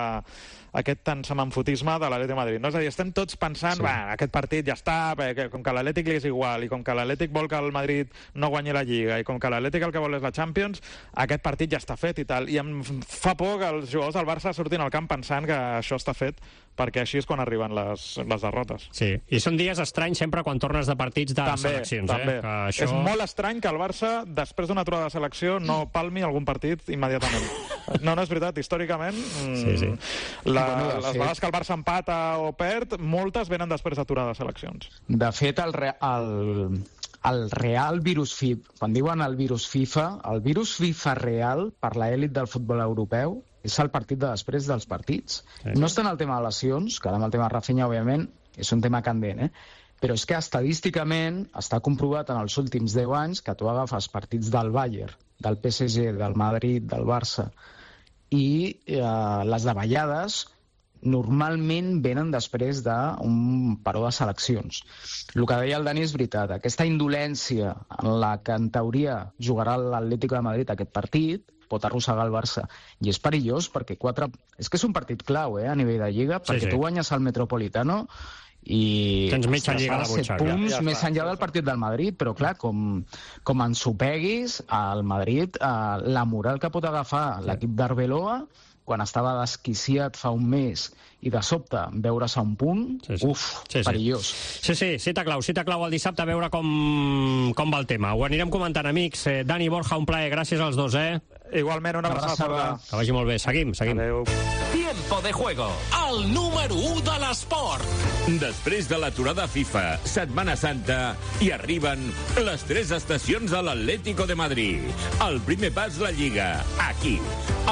aquest tant semanfotisme de l'Atlètic de Madrid. No? És a dir, estem tots pensant, sí. aquest partit ja està, perquè com que l'Atlètic li és igual i com que l'Atlètic vol que el Madrid no guanyi la Lliga i com que l'Atlètic el que vol és la Champions, aquest partit ja està fet i tal. I em fa por que els jugadors del Barça surtin al camp pensant que això està fet, perquè així és quan arriben les, les derrotes. Sí, i són dies estranys sempre quan tornes de partits de també, seleccions. També. Eh? Que això... És molt estrany que el Barça, després d'una aturada de selecció, no palmi algun partit immediatament. No, no és veritat, històricament, sí, sí. La, bueno, les fet... vegades que el Barça empata o perd, moltes venen després d'aturada de seleccions. De fet, el, re... el... el real virus FIFA, quan diuen el virus FIFA, el virus FIFA real per l'elit del futbol europeu és el partit de després dels partits. Sí. No està en el tema de lesions, que ara amb el tema de Rafinha, òbviament, és un tema candent, eh? Però és que estadísticament està comprovat en els últims deu anys que tu agafes partits del Bayern, del P S G, del Madrid, del Barça, i eh, les davallades normalment venen després d'un paró de seleccions. El que deia el Dani és veritat. Aquesta indolència en la que en teoria jugarà l'Atlético de Madrid aquest partit pot arrossegar el Barça. I és perillós perquè quatre... És que és un partit clau, eh, a nivell de Lliga, perquè sí, sí. tu guanyes el Metropolitano i tens mitja ostres, lliga ara de set butxaca. punts Ja més està. enllà del partit del Madrid, però clar, com, com ensopeguis al Madrid, eh, la moral que pot agafar l'equip d'Arbeloa quan estava desquiciat fa un mes i de sobte veure's a un punt, sí, sí. uf, sí, sí. perillós. Sí, sí, cita clau, cita clau el dissabte, a veure com, com va el tema. Ho anirem comentant, amics. Eh, Dani, Borja, un plaer, gràcies als dos, eh? Igualment, una abraçada. Que vagi molt bé. Seguim, seguim. Adéu. Tiempo de juego, el número u de l'esport. Després de l'aturada FIFA, Setmana Santa, i arriben les tres estacions de l'Atlético de Madrid. El primer pas, la Lliga, aquí,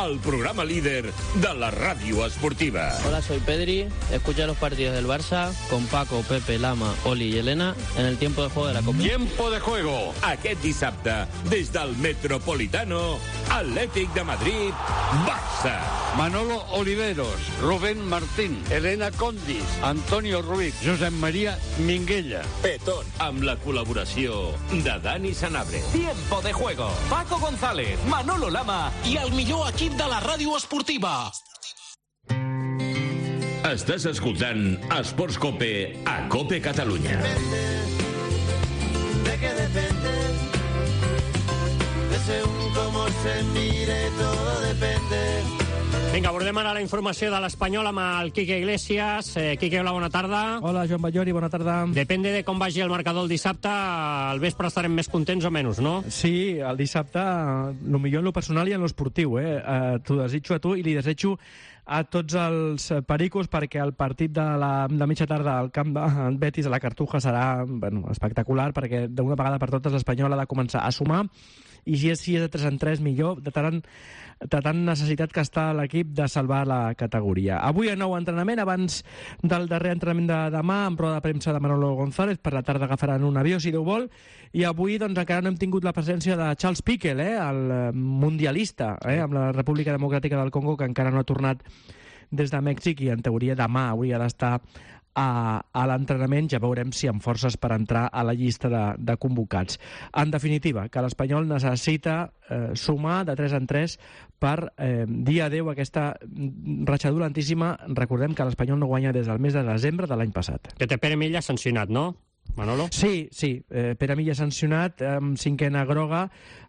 el programa líder de la ràdio esportiva. Hola, soy Pedri. Escucha los partidos del Barça con Paco, Pepe, Lama, Oli y Elena en el tiempo de juego de la Copa. Tiempo de juego, aquest dissabte, des del Metropolitano, Atlètic de Madrid, Barça. Manolo Oliveros, Rubén Martín, Elena Condis, Antonio Ruiz, Josep María Minguella. Petón, amb la col·laboració de Dani Sanabria. Tiempo de juego, Paco González, Manolo Lama i el millor equip de la ràdio esportiva. Estàs escoltant Esports Cope a Cope Catalunya. De que depende de según cómo se mire, todo depende. Vinga, abordem ara la informació de l'Espanyol amb el Quique Iglesias. Eh, Quique, hola, bona tarda. Hola, Joan Ballori, bona tarda. Depende de com vagi el marcador el dissabte, al vespre estarem més contents o menys, no? Sí, el dissabte, el millor en lo personal i en lo esportiu, eh? eh T'ho desitjo a tu i li desitjo a tots els pericos perquè el partit de, la, de mitja tarda al camp de Betis a la Cartuja serà bueno, espectacular perquè d'una vegada per totes l'Espanyol ha de començar a sumar i si és, si és de tres en tres millor, de tant, de tant necessitat que està l'equip de salvar la categoria. Avui a nou entrenament, abans del darrer entrenament de demà, amb roda de premsa de Manolo González, per la tarda agafaran un avió, si Déu vol, i avui doncs, encara no hem tingut la presència de Charles Piquel, eh, el mundialista, eh, amb la República Democràtica del Congo, que encara no ha tornat des de Mèxic i en teoria demà hauria d'estar a, a l'entrenament. Ja veurem si amb forces per entrar a la llista de, de convocats. En definitiva, que l'Espanyol necessita eh, sumar de tres en tres per eh, dir adeu a aquesta ratxa dolentíssima. Recordem que l'Espanyol no guanya des del mes de desembre de l'any passat. Que té Pere Milla sancionat, no? Manolo? Sí, sí. Eh, Pere Milla sancionat, amb cinquena groga,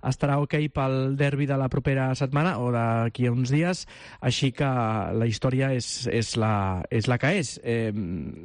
estarà ok pel derbi de la propera setmana o d'aquí a uns dies, així que la història és, és, la, és la que és. Eh,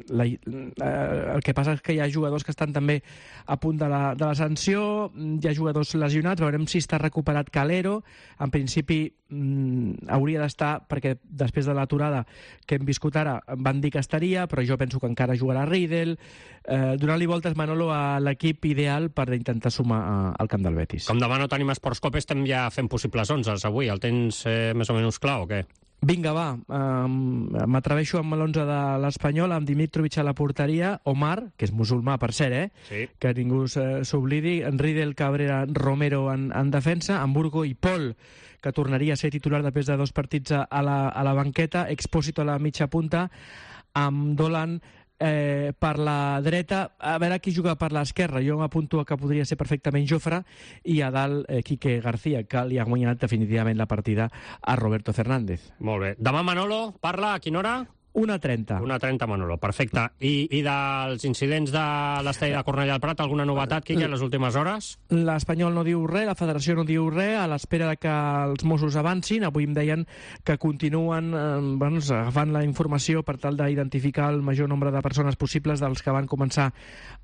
la, eh, el que passa és que hi ha jugadors que estan també a punt de la, de la sanció, hi ha jugadors lesionats, veurem si està recuperat Calero. En principi mm, hauria d'estar, perquè després de l'aturada que hem viscut ara van dir que estaria, però jo penso que encara jugarà Riedel, eh, donant-li voltes, Manolo, a l'equip ideal per intentar sumar a, al camp del Betis. Com demà no tenim Esports Cope, estem ja fent possibles onzes avui. El tens eh, més o menys clar o què? Vinga, va. Um, M'atreveixo amb l'onze de l'Espanyol, amb Dimitrovic a la porteria, Omar, que és musulmà, per cert, eh? Sí. Que ningú s'oblidi, Riedel, Cabrera, Romero en, en defensa, Hamburgo i Pol, que tornaria a ser titular després de dos partits a la, a la banqueta, Expósito a la mitja punta, amb Dolan eh, per la dreta, a veure qui juga per l'esquerra. Jo m'apunto que podria ser perfectament Jofre, i a dalt eh, Quique García, que li ha guanyat definitivament la partida a Roberto Fernández. Molt bé. Demà Manolo parla a quina hora? una trenta. una trenta, Manolo, perfecte. I, i dels incidents de l'estadi de Cornellà del Prat, alguna novetat, Quique, en les últimes hores? L'Espanyol no diu res, la Federació no diu res, a l'espera que els Mossos avancin. Avui em deien que continuen eh, bueno, agafant la informació per tal d'identificar el major nombre de persones possibles dels que van començar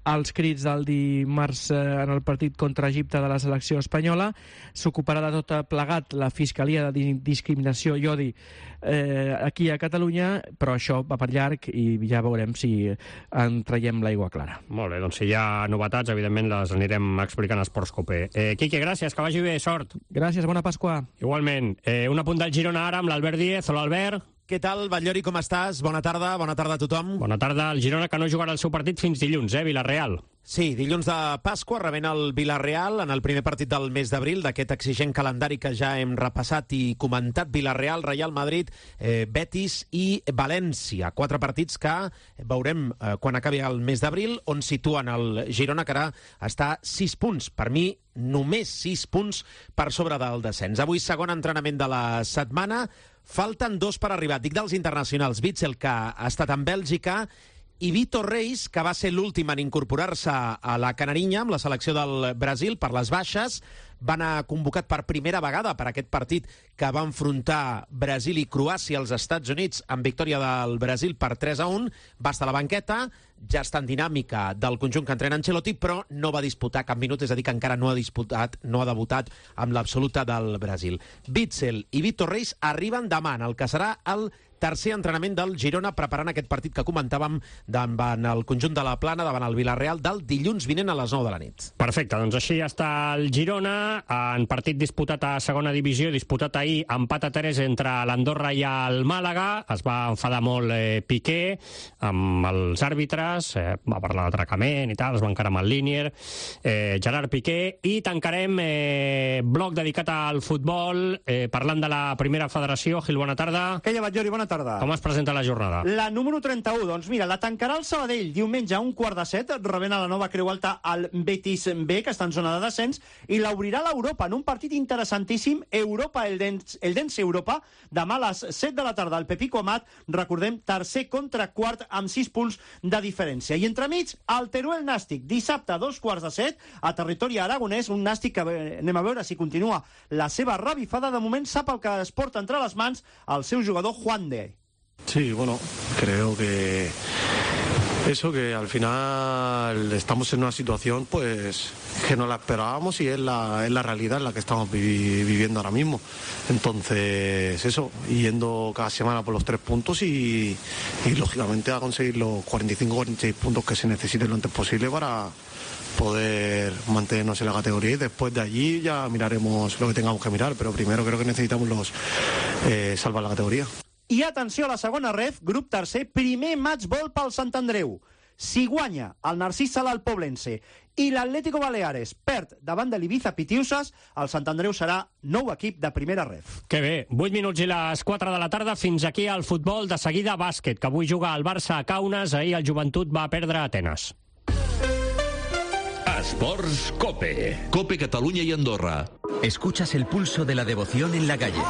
els crits del dimarts eh, en el partit contra Egipte de la selecció espanyola. S'ocuparà de tot plegat la Fiscalia de Discriminació i Odi eh, aquí a Catalunya, però això va per llarg i ja veurem si en traiem l'aigua clara. Molt bé, doncs si hi ha novetats, evidentment les anirem explicant a Esports Cope. Eh, Quique, gràcies, que vagi bé, sort. Gràcies, bona Pasqua. Igualment. Eh, un apunt del Girona ara amb l'Albert Díez. Hola, Albert. Què tal, Batllori, com estàs? Bona tarda, bona tarda a tothom. Bona tarda. El Girona que no jugarà el seu partit fins dilluns, eh, Villarreal. Sí, dilluns de Pasqua rebent el Villarreal en el primer partit del mes d'abril d'aquest exigent calendari que ja hem repassat i comentat. Villarreal, Real Madrid, eh, Betis i València. Quatre partits que veurem eh, quan acabi el mes d'abril, on situen el Girona, que ara està sis punts. Per mi, només sis punts per sobre del descens. Avui, segon entrenament de la setmana. Falten dos per arribar. Dic dels internacionals. Witzel, que ha estat en Bèlgica, i Vitor Reis, que va ser l'últim en incorporar-se a la Canarinya amb la selecció del Brasil per les baixes, va anar convocat per primera vegada per aquest partit que va enfrontar Brasil i Croàcia als Estats Units amb victòria del Brasil per tres a un. Va estar a la banqueta, ja està en dinàmica del conjunt que entrena Ancelotti, però no va disputar cap minut, és a dir, que encara no ha disputat, no ha debutat amb l'absoluta del Brasil. Witsel i Vitor Reis arriben demà en el que serà el tercer entrenament del Girona, preparant aquest partit que comentàvem davant el conjunt de la Plana, davant el Villarreal, del dilluns vinent a les nou de la nit. Perfecte, doncs així està el Girona, en partit disputat a segona divisió, disputat ahir, empat a tres entre l'Andorra i el Màlaga. Es va enfadar molt eh, Piqué amb els àrbitres, eh, va parlar d'atracament i tal, es va encarar amb el Línier, eh, Gerard Piqué, i tancarem eh, bloc dedicat al futbol, eh, parlant de la primera federació. Gil, bona tarda. Què llevat, Jordi? Bona tarda. Com es presenta la jornada? La número trenta-u, doncs mira, la tancarà el Sabadell diumenge a un quart de set, rebent a la nova Creu Alta al Betis B, que està en zona de descens, i l'obrirà l'Europa en un partit interessantíssim, Europa, el Dens, el Dens Europa, demà a les set de la tarda. El Pepico Amat, recordem, tercer contra quart amb sis punts de diferència. I entremig, el Teruel Nàstic, dissabte a dos quarts de set, a territori aragonès, un Nàstic que anem a veure si continua la seva revifada. De moment sap el que es porta entre les mans el seu jugador Juan de. Sí, bueno, creo que eso, que al final estamos en una situación pues que no la esperábamos y es la, es la realidad en la que estamos vi, viviendo ahora mismo. Entonces, eso, yendo cada semana por los tres puntos y, y lógicamente a conseguir los cuarenta y cinco cuarenta y seis puntos que se necesiten lo antes posible para poder mantenernos en la categoría, y después de allí ya miraremos lo que tengamos que mirar, pero primero creo que necesitamos los eh, salvar la categoría. I atenció a la segona ref, grup tercer, primer match ball pel Sant Andreu. Si guanya el Narcís Sala al Poblense i l'Atlético Baleares perd davant de l'Ibiza Pitiusas, el Sant Andreu serà nou equip de primera ref. Que bé, vuit minuts i les quatre de la tarda, fins aquí al futbol. De seguida, bàsquet, que avui juga el Barça a Kaunas, ahir el Joventut va perdre a Atenes. Esports Cope. Cope Catalunya y Andorra. Escuchas el pulso de la devoción en la calle.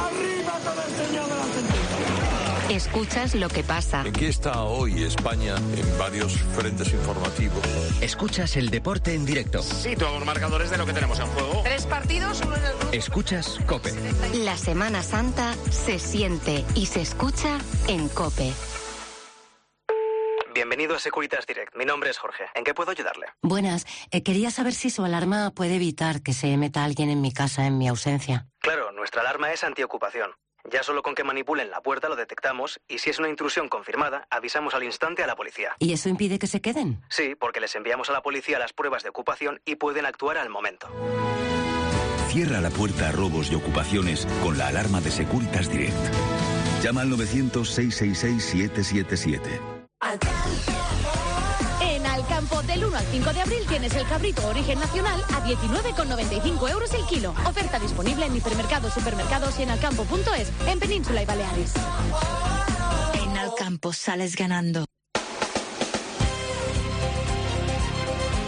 Escuchas lo que pasa. ¿En qué está hoy España en varios frentes informativos? Escuchas el deporte en directo. Sí, todos los marcadores de lo que tenemos en juego. Tres partidos, uno en el grupo. Escuchas COPE. La Semana Santa se siente y se escucha en COPE. Bienvenido a Securitas Direct. Mi nombre es Jorge. ¿En qué puedo ayudarle? Buenas. Eh, quería saber si su alarma puede evitar que se meta alguien en mi casa en mi ausencia. Claro, nuestra alarma es antiocupación. Ya solo con que manipulen la puerta lo detectamos, y si es una intrusión confirmada, avisamos al instante a la policía. ¿Y eso impide que se queden? Sí, porque les enviamos a la policía las pruebas de ocupación y pueden actuar al momento. Cierra la puerta a robos y ocupaciones con la alarma de Securitas Direct. Llama al novecientos, seiscientos sesenta y seis, siete siete siete. En Alcampo, del uno al cinco de abril tienes el cabrito origen nacional a diecinueve con noventa y cinco euros el kilo. Oferta disponible en hipermercados, supermercados y en alcampo punto es, en Península y Baleares. En Alcampo sales ganando.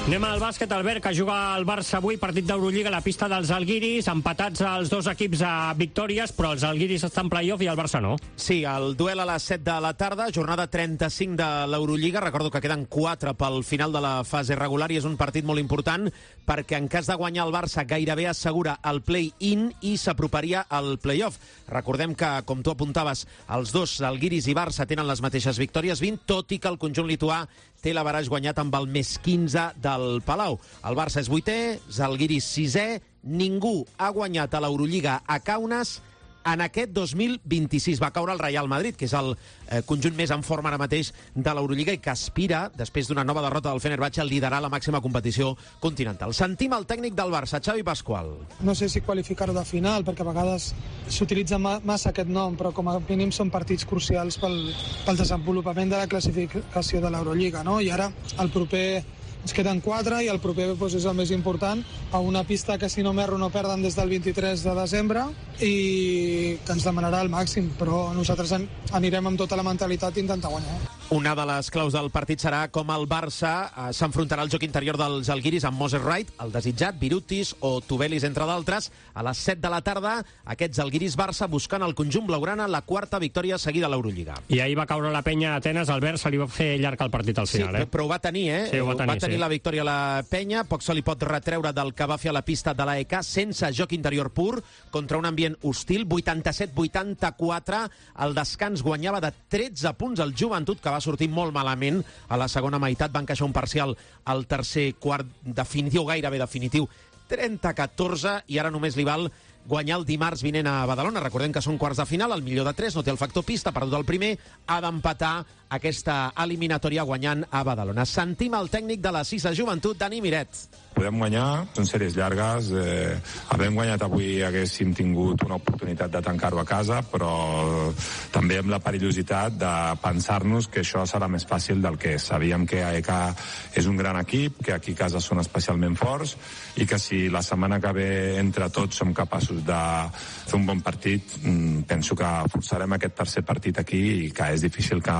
Anem al bàsquet, Albert, que juga el Barça avui, partit d'Eurolliga a la pista dels Alguiris, empatats els dos equips a victòries, però els Alguiris estan en play-off i el Barça no. Sí, el duel a les set de la tarda, jornada trenta-cinc de l'Eurolliga. Recordo que queden quatre pel final de la fase regular i és un partit molt important perquè en cas de guanyar el Barça gairebé assegura el play-in i s'aproparia al play-off. Recordem que, com tu apuntaves, els dos, Alguiris i Barça, tenen les mateixes victòries, vint, tot i que el conjunt lituà té l'averaix guanyat amb el més quinze del Palau. El Barça és vuitè, Zalgiris sisè, ningú ha guanyat a l'Eurolliga a Kaunas en aquest dos mil vint-i-sis. Va caure el Real Madrid, que és el eh, conjunt més en forma ara mateix de l'Eurolliga i que aspira, després d'una nova derrota del Fenerbahçe, a liderar la màxima competició continental. Sentim el tècnic del Barça, Xavi Pascual. No sé si qualificar-ho de final, perquè a vegades s'utilitza massa aquest nom, però com a mínim són partits crucials pel, pel desenvolupament de la classificació de l'Eurolliga, no? I ara el proper ens queden quatre i el proper doncs, és el més important, a una pista que si no m'erro no perden des del vint-i-tres de desembre i que ens demanarà el màxim, però nosaltres anirem amb tota la mentalitat d'intentar guanyar. Una de les claus del partit serà com el Barça eh, s'enfrontarà al joc interior dels alguiris amb Moses Wright, el desitjat, Virutis o Tubelis, entre d'altres. A les set de la tarda, aquests alguiris-Barça buscant el conjunt blaugrana la quarta victòria seguida a l'Eurolliga. I ahir va caure la penya a Atenes, Albert, se li va fer llarg el partit al final. Sí, eh? però ho va tenir, eh? Sí, ho va tenir, va tenir sí. la victòria a la penya, poc se li pot retreure del que va fer a la pista de l'A E K, sense joc interior pur, contra un ambient hostil, vuitanta-set vuitanta-quatre. El descans guanyava de tretze punts el Joventut, que va sortir molt malament a la segona meitat, van encaixar un parcial al tercer quart definitiu, gairebé definitiu, trenta a catorze, i ara només li val guanyar el dimarts vinent a Badalona. Recordem que són quarts de final, el millor de tres, no té el factor pista, ha perdut el primer, ha d'empatar aquesta eliminatòria guanyant a Badalona. Sentim el tècnic de la Sisa Joventut, Dani Miret. Podem guanyar, són sèries llargues, eh, havent guanyat avui haguéssim tingut una oportunitat de tancar-ho a casa, però també amb la perillositat de pensar-nos que això serà més fàcil del que és. Sabíem que A E K és un gran equip, que aquí a casa són especialment forts i que si la setmana que ve entre tots som capaços de fer un bon partit, penso que forçarem aquest tercer partit aquí i que és difícil que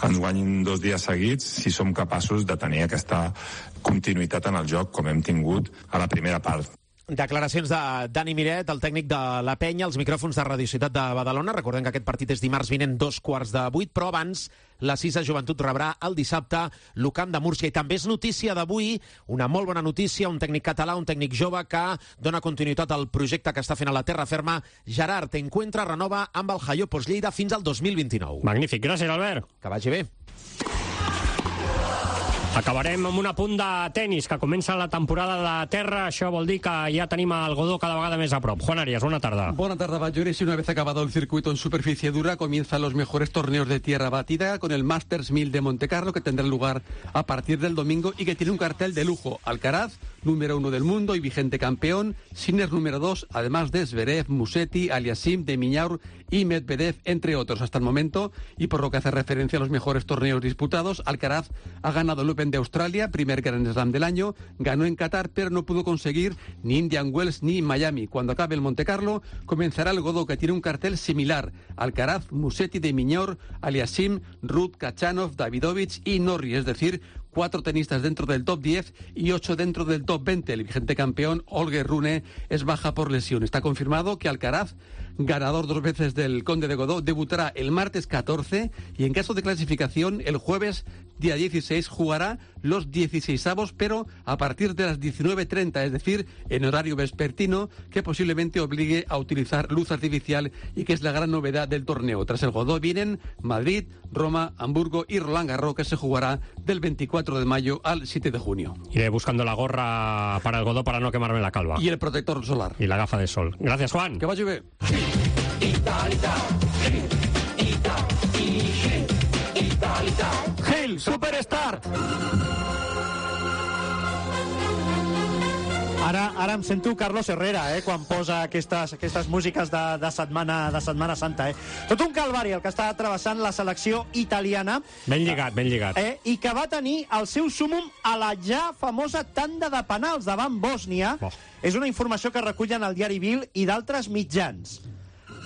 ens guanyin dos dies seguits si som capaços de tenir aquesta continuïtat en el joc com hem tingut a la primera part. Declaracions de Dani Miret, el tècnic de la penya, als micròfons de Radio Ciutat de Badalona. Recordem que aquest partit és dimarts vinent, dos quarts de vuit, però abans la Sisa Joventut rebrà el dissabte l'Ucamp de Múrcia. I també és notícia d'avui, una molt bona notícia, un tècnic català, un tècnic jove que dona continuïtat al projecte que està fent a la terra ferma. Gerard Encuentra renova amb el Jaiopos Lleida fins al dos mil vint-i-nou. Magnífic, gràcies, Albert. Que vagi bé. Acabarem amb un apunt de tennis, que comença la temporada de terra. Això vol dir que ja tenim el Godó cada vegada més a prop. Juan Arias, bona tarda. Buena tarde, Bayores. Y una vez acabado el circuito en superficie dura, comienzan los mejores torneos de tierra batida con el Masters mil de Montecarlo, que tendrá lugar a partir del domingo y que tiene un cartel de lujo. Alcaraz, número uno del mundo y vigente campeón. Sinner, número dos, además de Zverev, Musetti, Aliasim, de Miñaur y Medvedev, entre otros. Hasta el momento, y por lo que hace referencia a los mejores torneos disputados, Alcaraz ha ganado el Open de Australia, primer Grand Slam del año, ganó en Qatar, pero no pudo conseguir ni Indian Wells ni Miami. Cuando acabe el Monte Carlo, comenzará el Godó, que tiene un cartel similar. Alcaraz, Musetti, de Miñor, Aliasim, Ruud, Kachanov, Davidovich y Norrie, es decir, cuatro tenistas dentro del top diez y ocho dentro del top veinte. El vigente campeón, Holger Rune, es baja por lesión. Está confirmado que Alcaraz, ganador dos veces del Conde de Godó, debutará el martes catorce y en caso de clasificación el jueves día dieciséis jugará los dieciseisavos, pero a partir de las diecinueve treinta, es decir, en horario vespertino, que posiblemente obligue a utilizar luz artificial y que es la gran novedad del torneo. Tras el Godó vienen Madrid, Roma, Hamburgo y Roland Garros, que se jugará del veinticuatro de mayo al siete de junio. Iré buscando la gorra para el Godó para no quemarme la calva. Y el protector solar. Y la gafa de sol. Gracias, Juan. Que vaya bien. Gil, Superstart. Ara, ara em sento Carlos Herrera, eh, quan posa aquestes, aquestes músiques de, de, setmana, de Setmana Santa. Eh. Tot un calvari el que està travessant la selecció italiana. Ben lligat, ben lligat. Eh, I que va tenir el seu súmum a la ja famosa tanda de penals davant Bòsnia. Oh. És una informació que recullen el diari Bild i d'altres mitjans.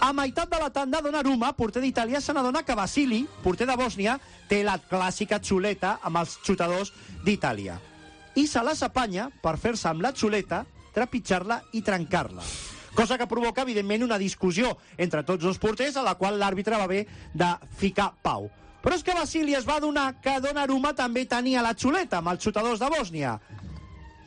A meitat de la tanda, Donnarumma, porter d'Itàlia, se n'adona que Vasili, porter de Bòsnia, té la clàssica xuleta amb els xutadors d'Itàlia. I se la s'apanya per fer-se amb la xuleta, trepitjar-la i trencar-la. Cosa que provoca, evidentment, una discussió entre tots dos porters, a la qual l'àrbitre va haver de ficar pau. Però és que Vasili es va adonar que Donnarumma també tenia la xuleta amb els xutadors de Bòsnia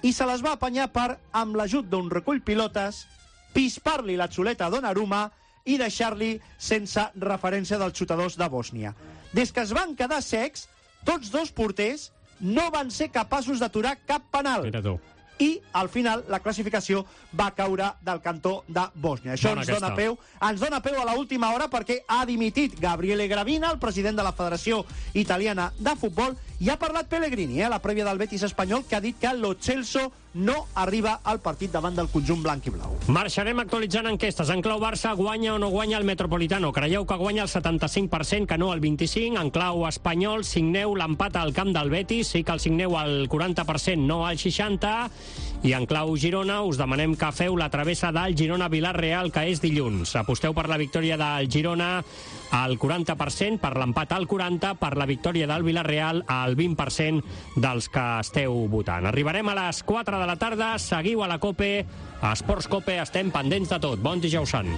i se les va apanyar per, amb l'ajut d'un recull pilotes, pispar-li la xuleta a Donnarumma i deixar-li sense referència dels xutadors de Bòsnia. Des que es van quedar secs, tots dos porters no van ser capaços d'aturar cap penal. Mira tu. I, al final, la classificació va caure del cantó de Bòsnia. Això ens dona, peu, ens dona peu a l'última hora perquè ha dimitit Gabriele Gravina, el president de la Federació Italiana de Futbol, i ha parlat Pellegrini, eh, a la prèvia del Betis espanyol, que ha dit que lo Celso no arriba al partit davant del conjunt blanc i blau. Marxarem actualitzant enquestes. En clau Barça, guanya o no guanya el Metropolitano? Creieu que guanya el setanta-cinc per cent, que no el vint-i-cinc per cent? En clau espanyol, signeu l'empat al camp del Betis, sí que el signeu al quaranta per cent, no al seixanta per cent. I en clau Girona us demanem que feu la travessa del Girona-Vilareal, que és dilluns. Aposteu per la victòria del Girona al quaranta per cent, per l'empat al quaranta per cent, per la victòria del Vilareal al vint per cent dels que esteu votant. Arribarem a les quatre de la tarda, seguiu a la COPE, a Esports COPE, estem pendents de tot. Bon dijous sant.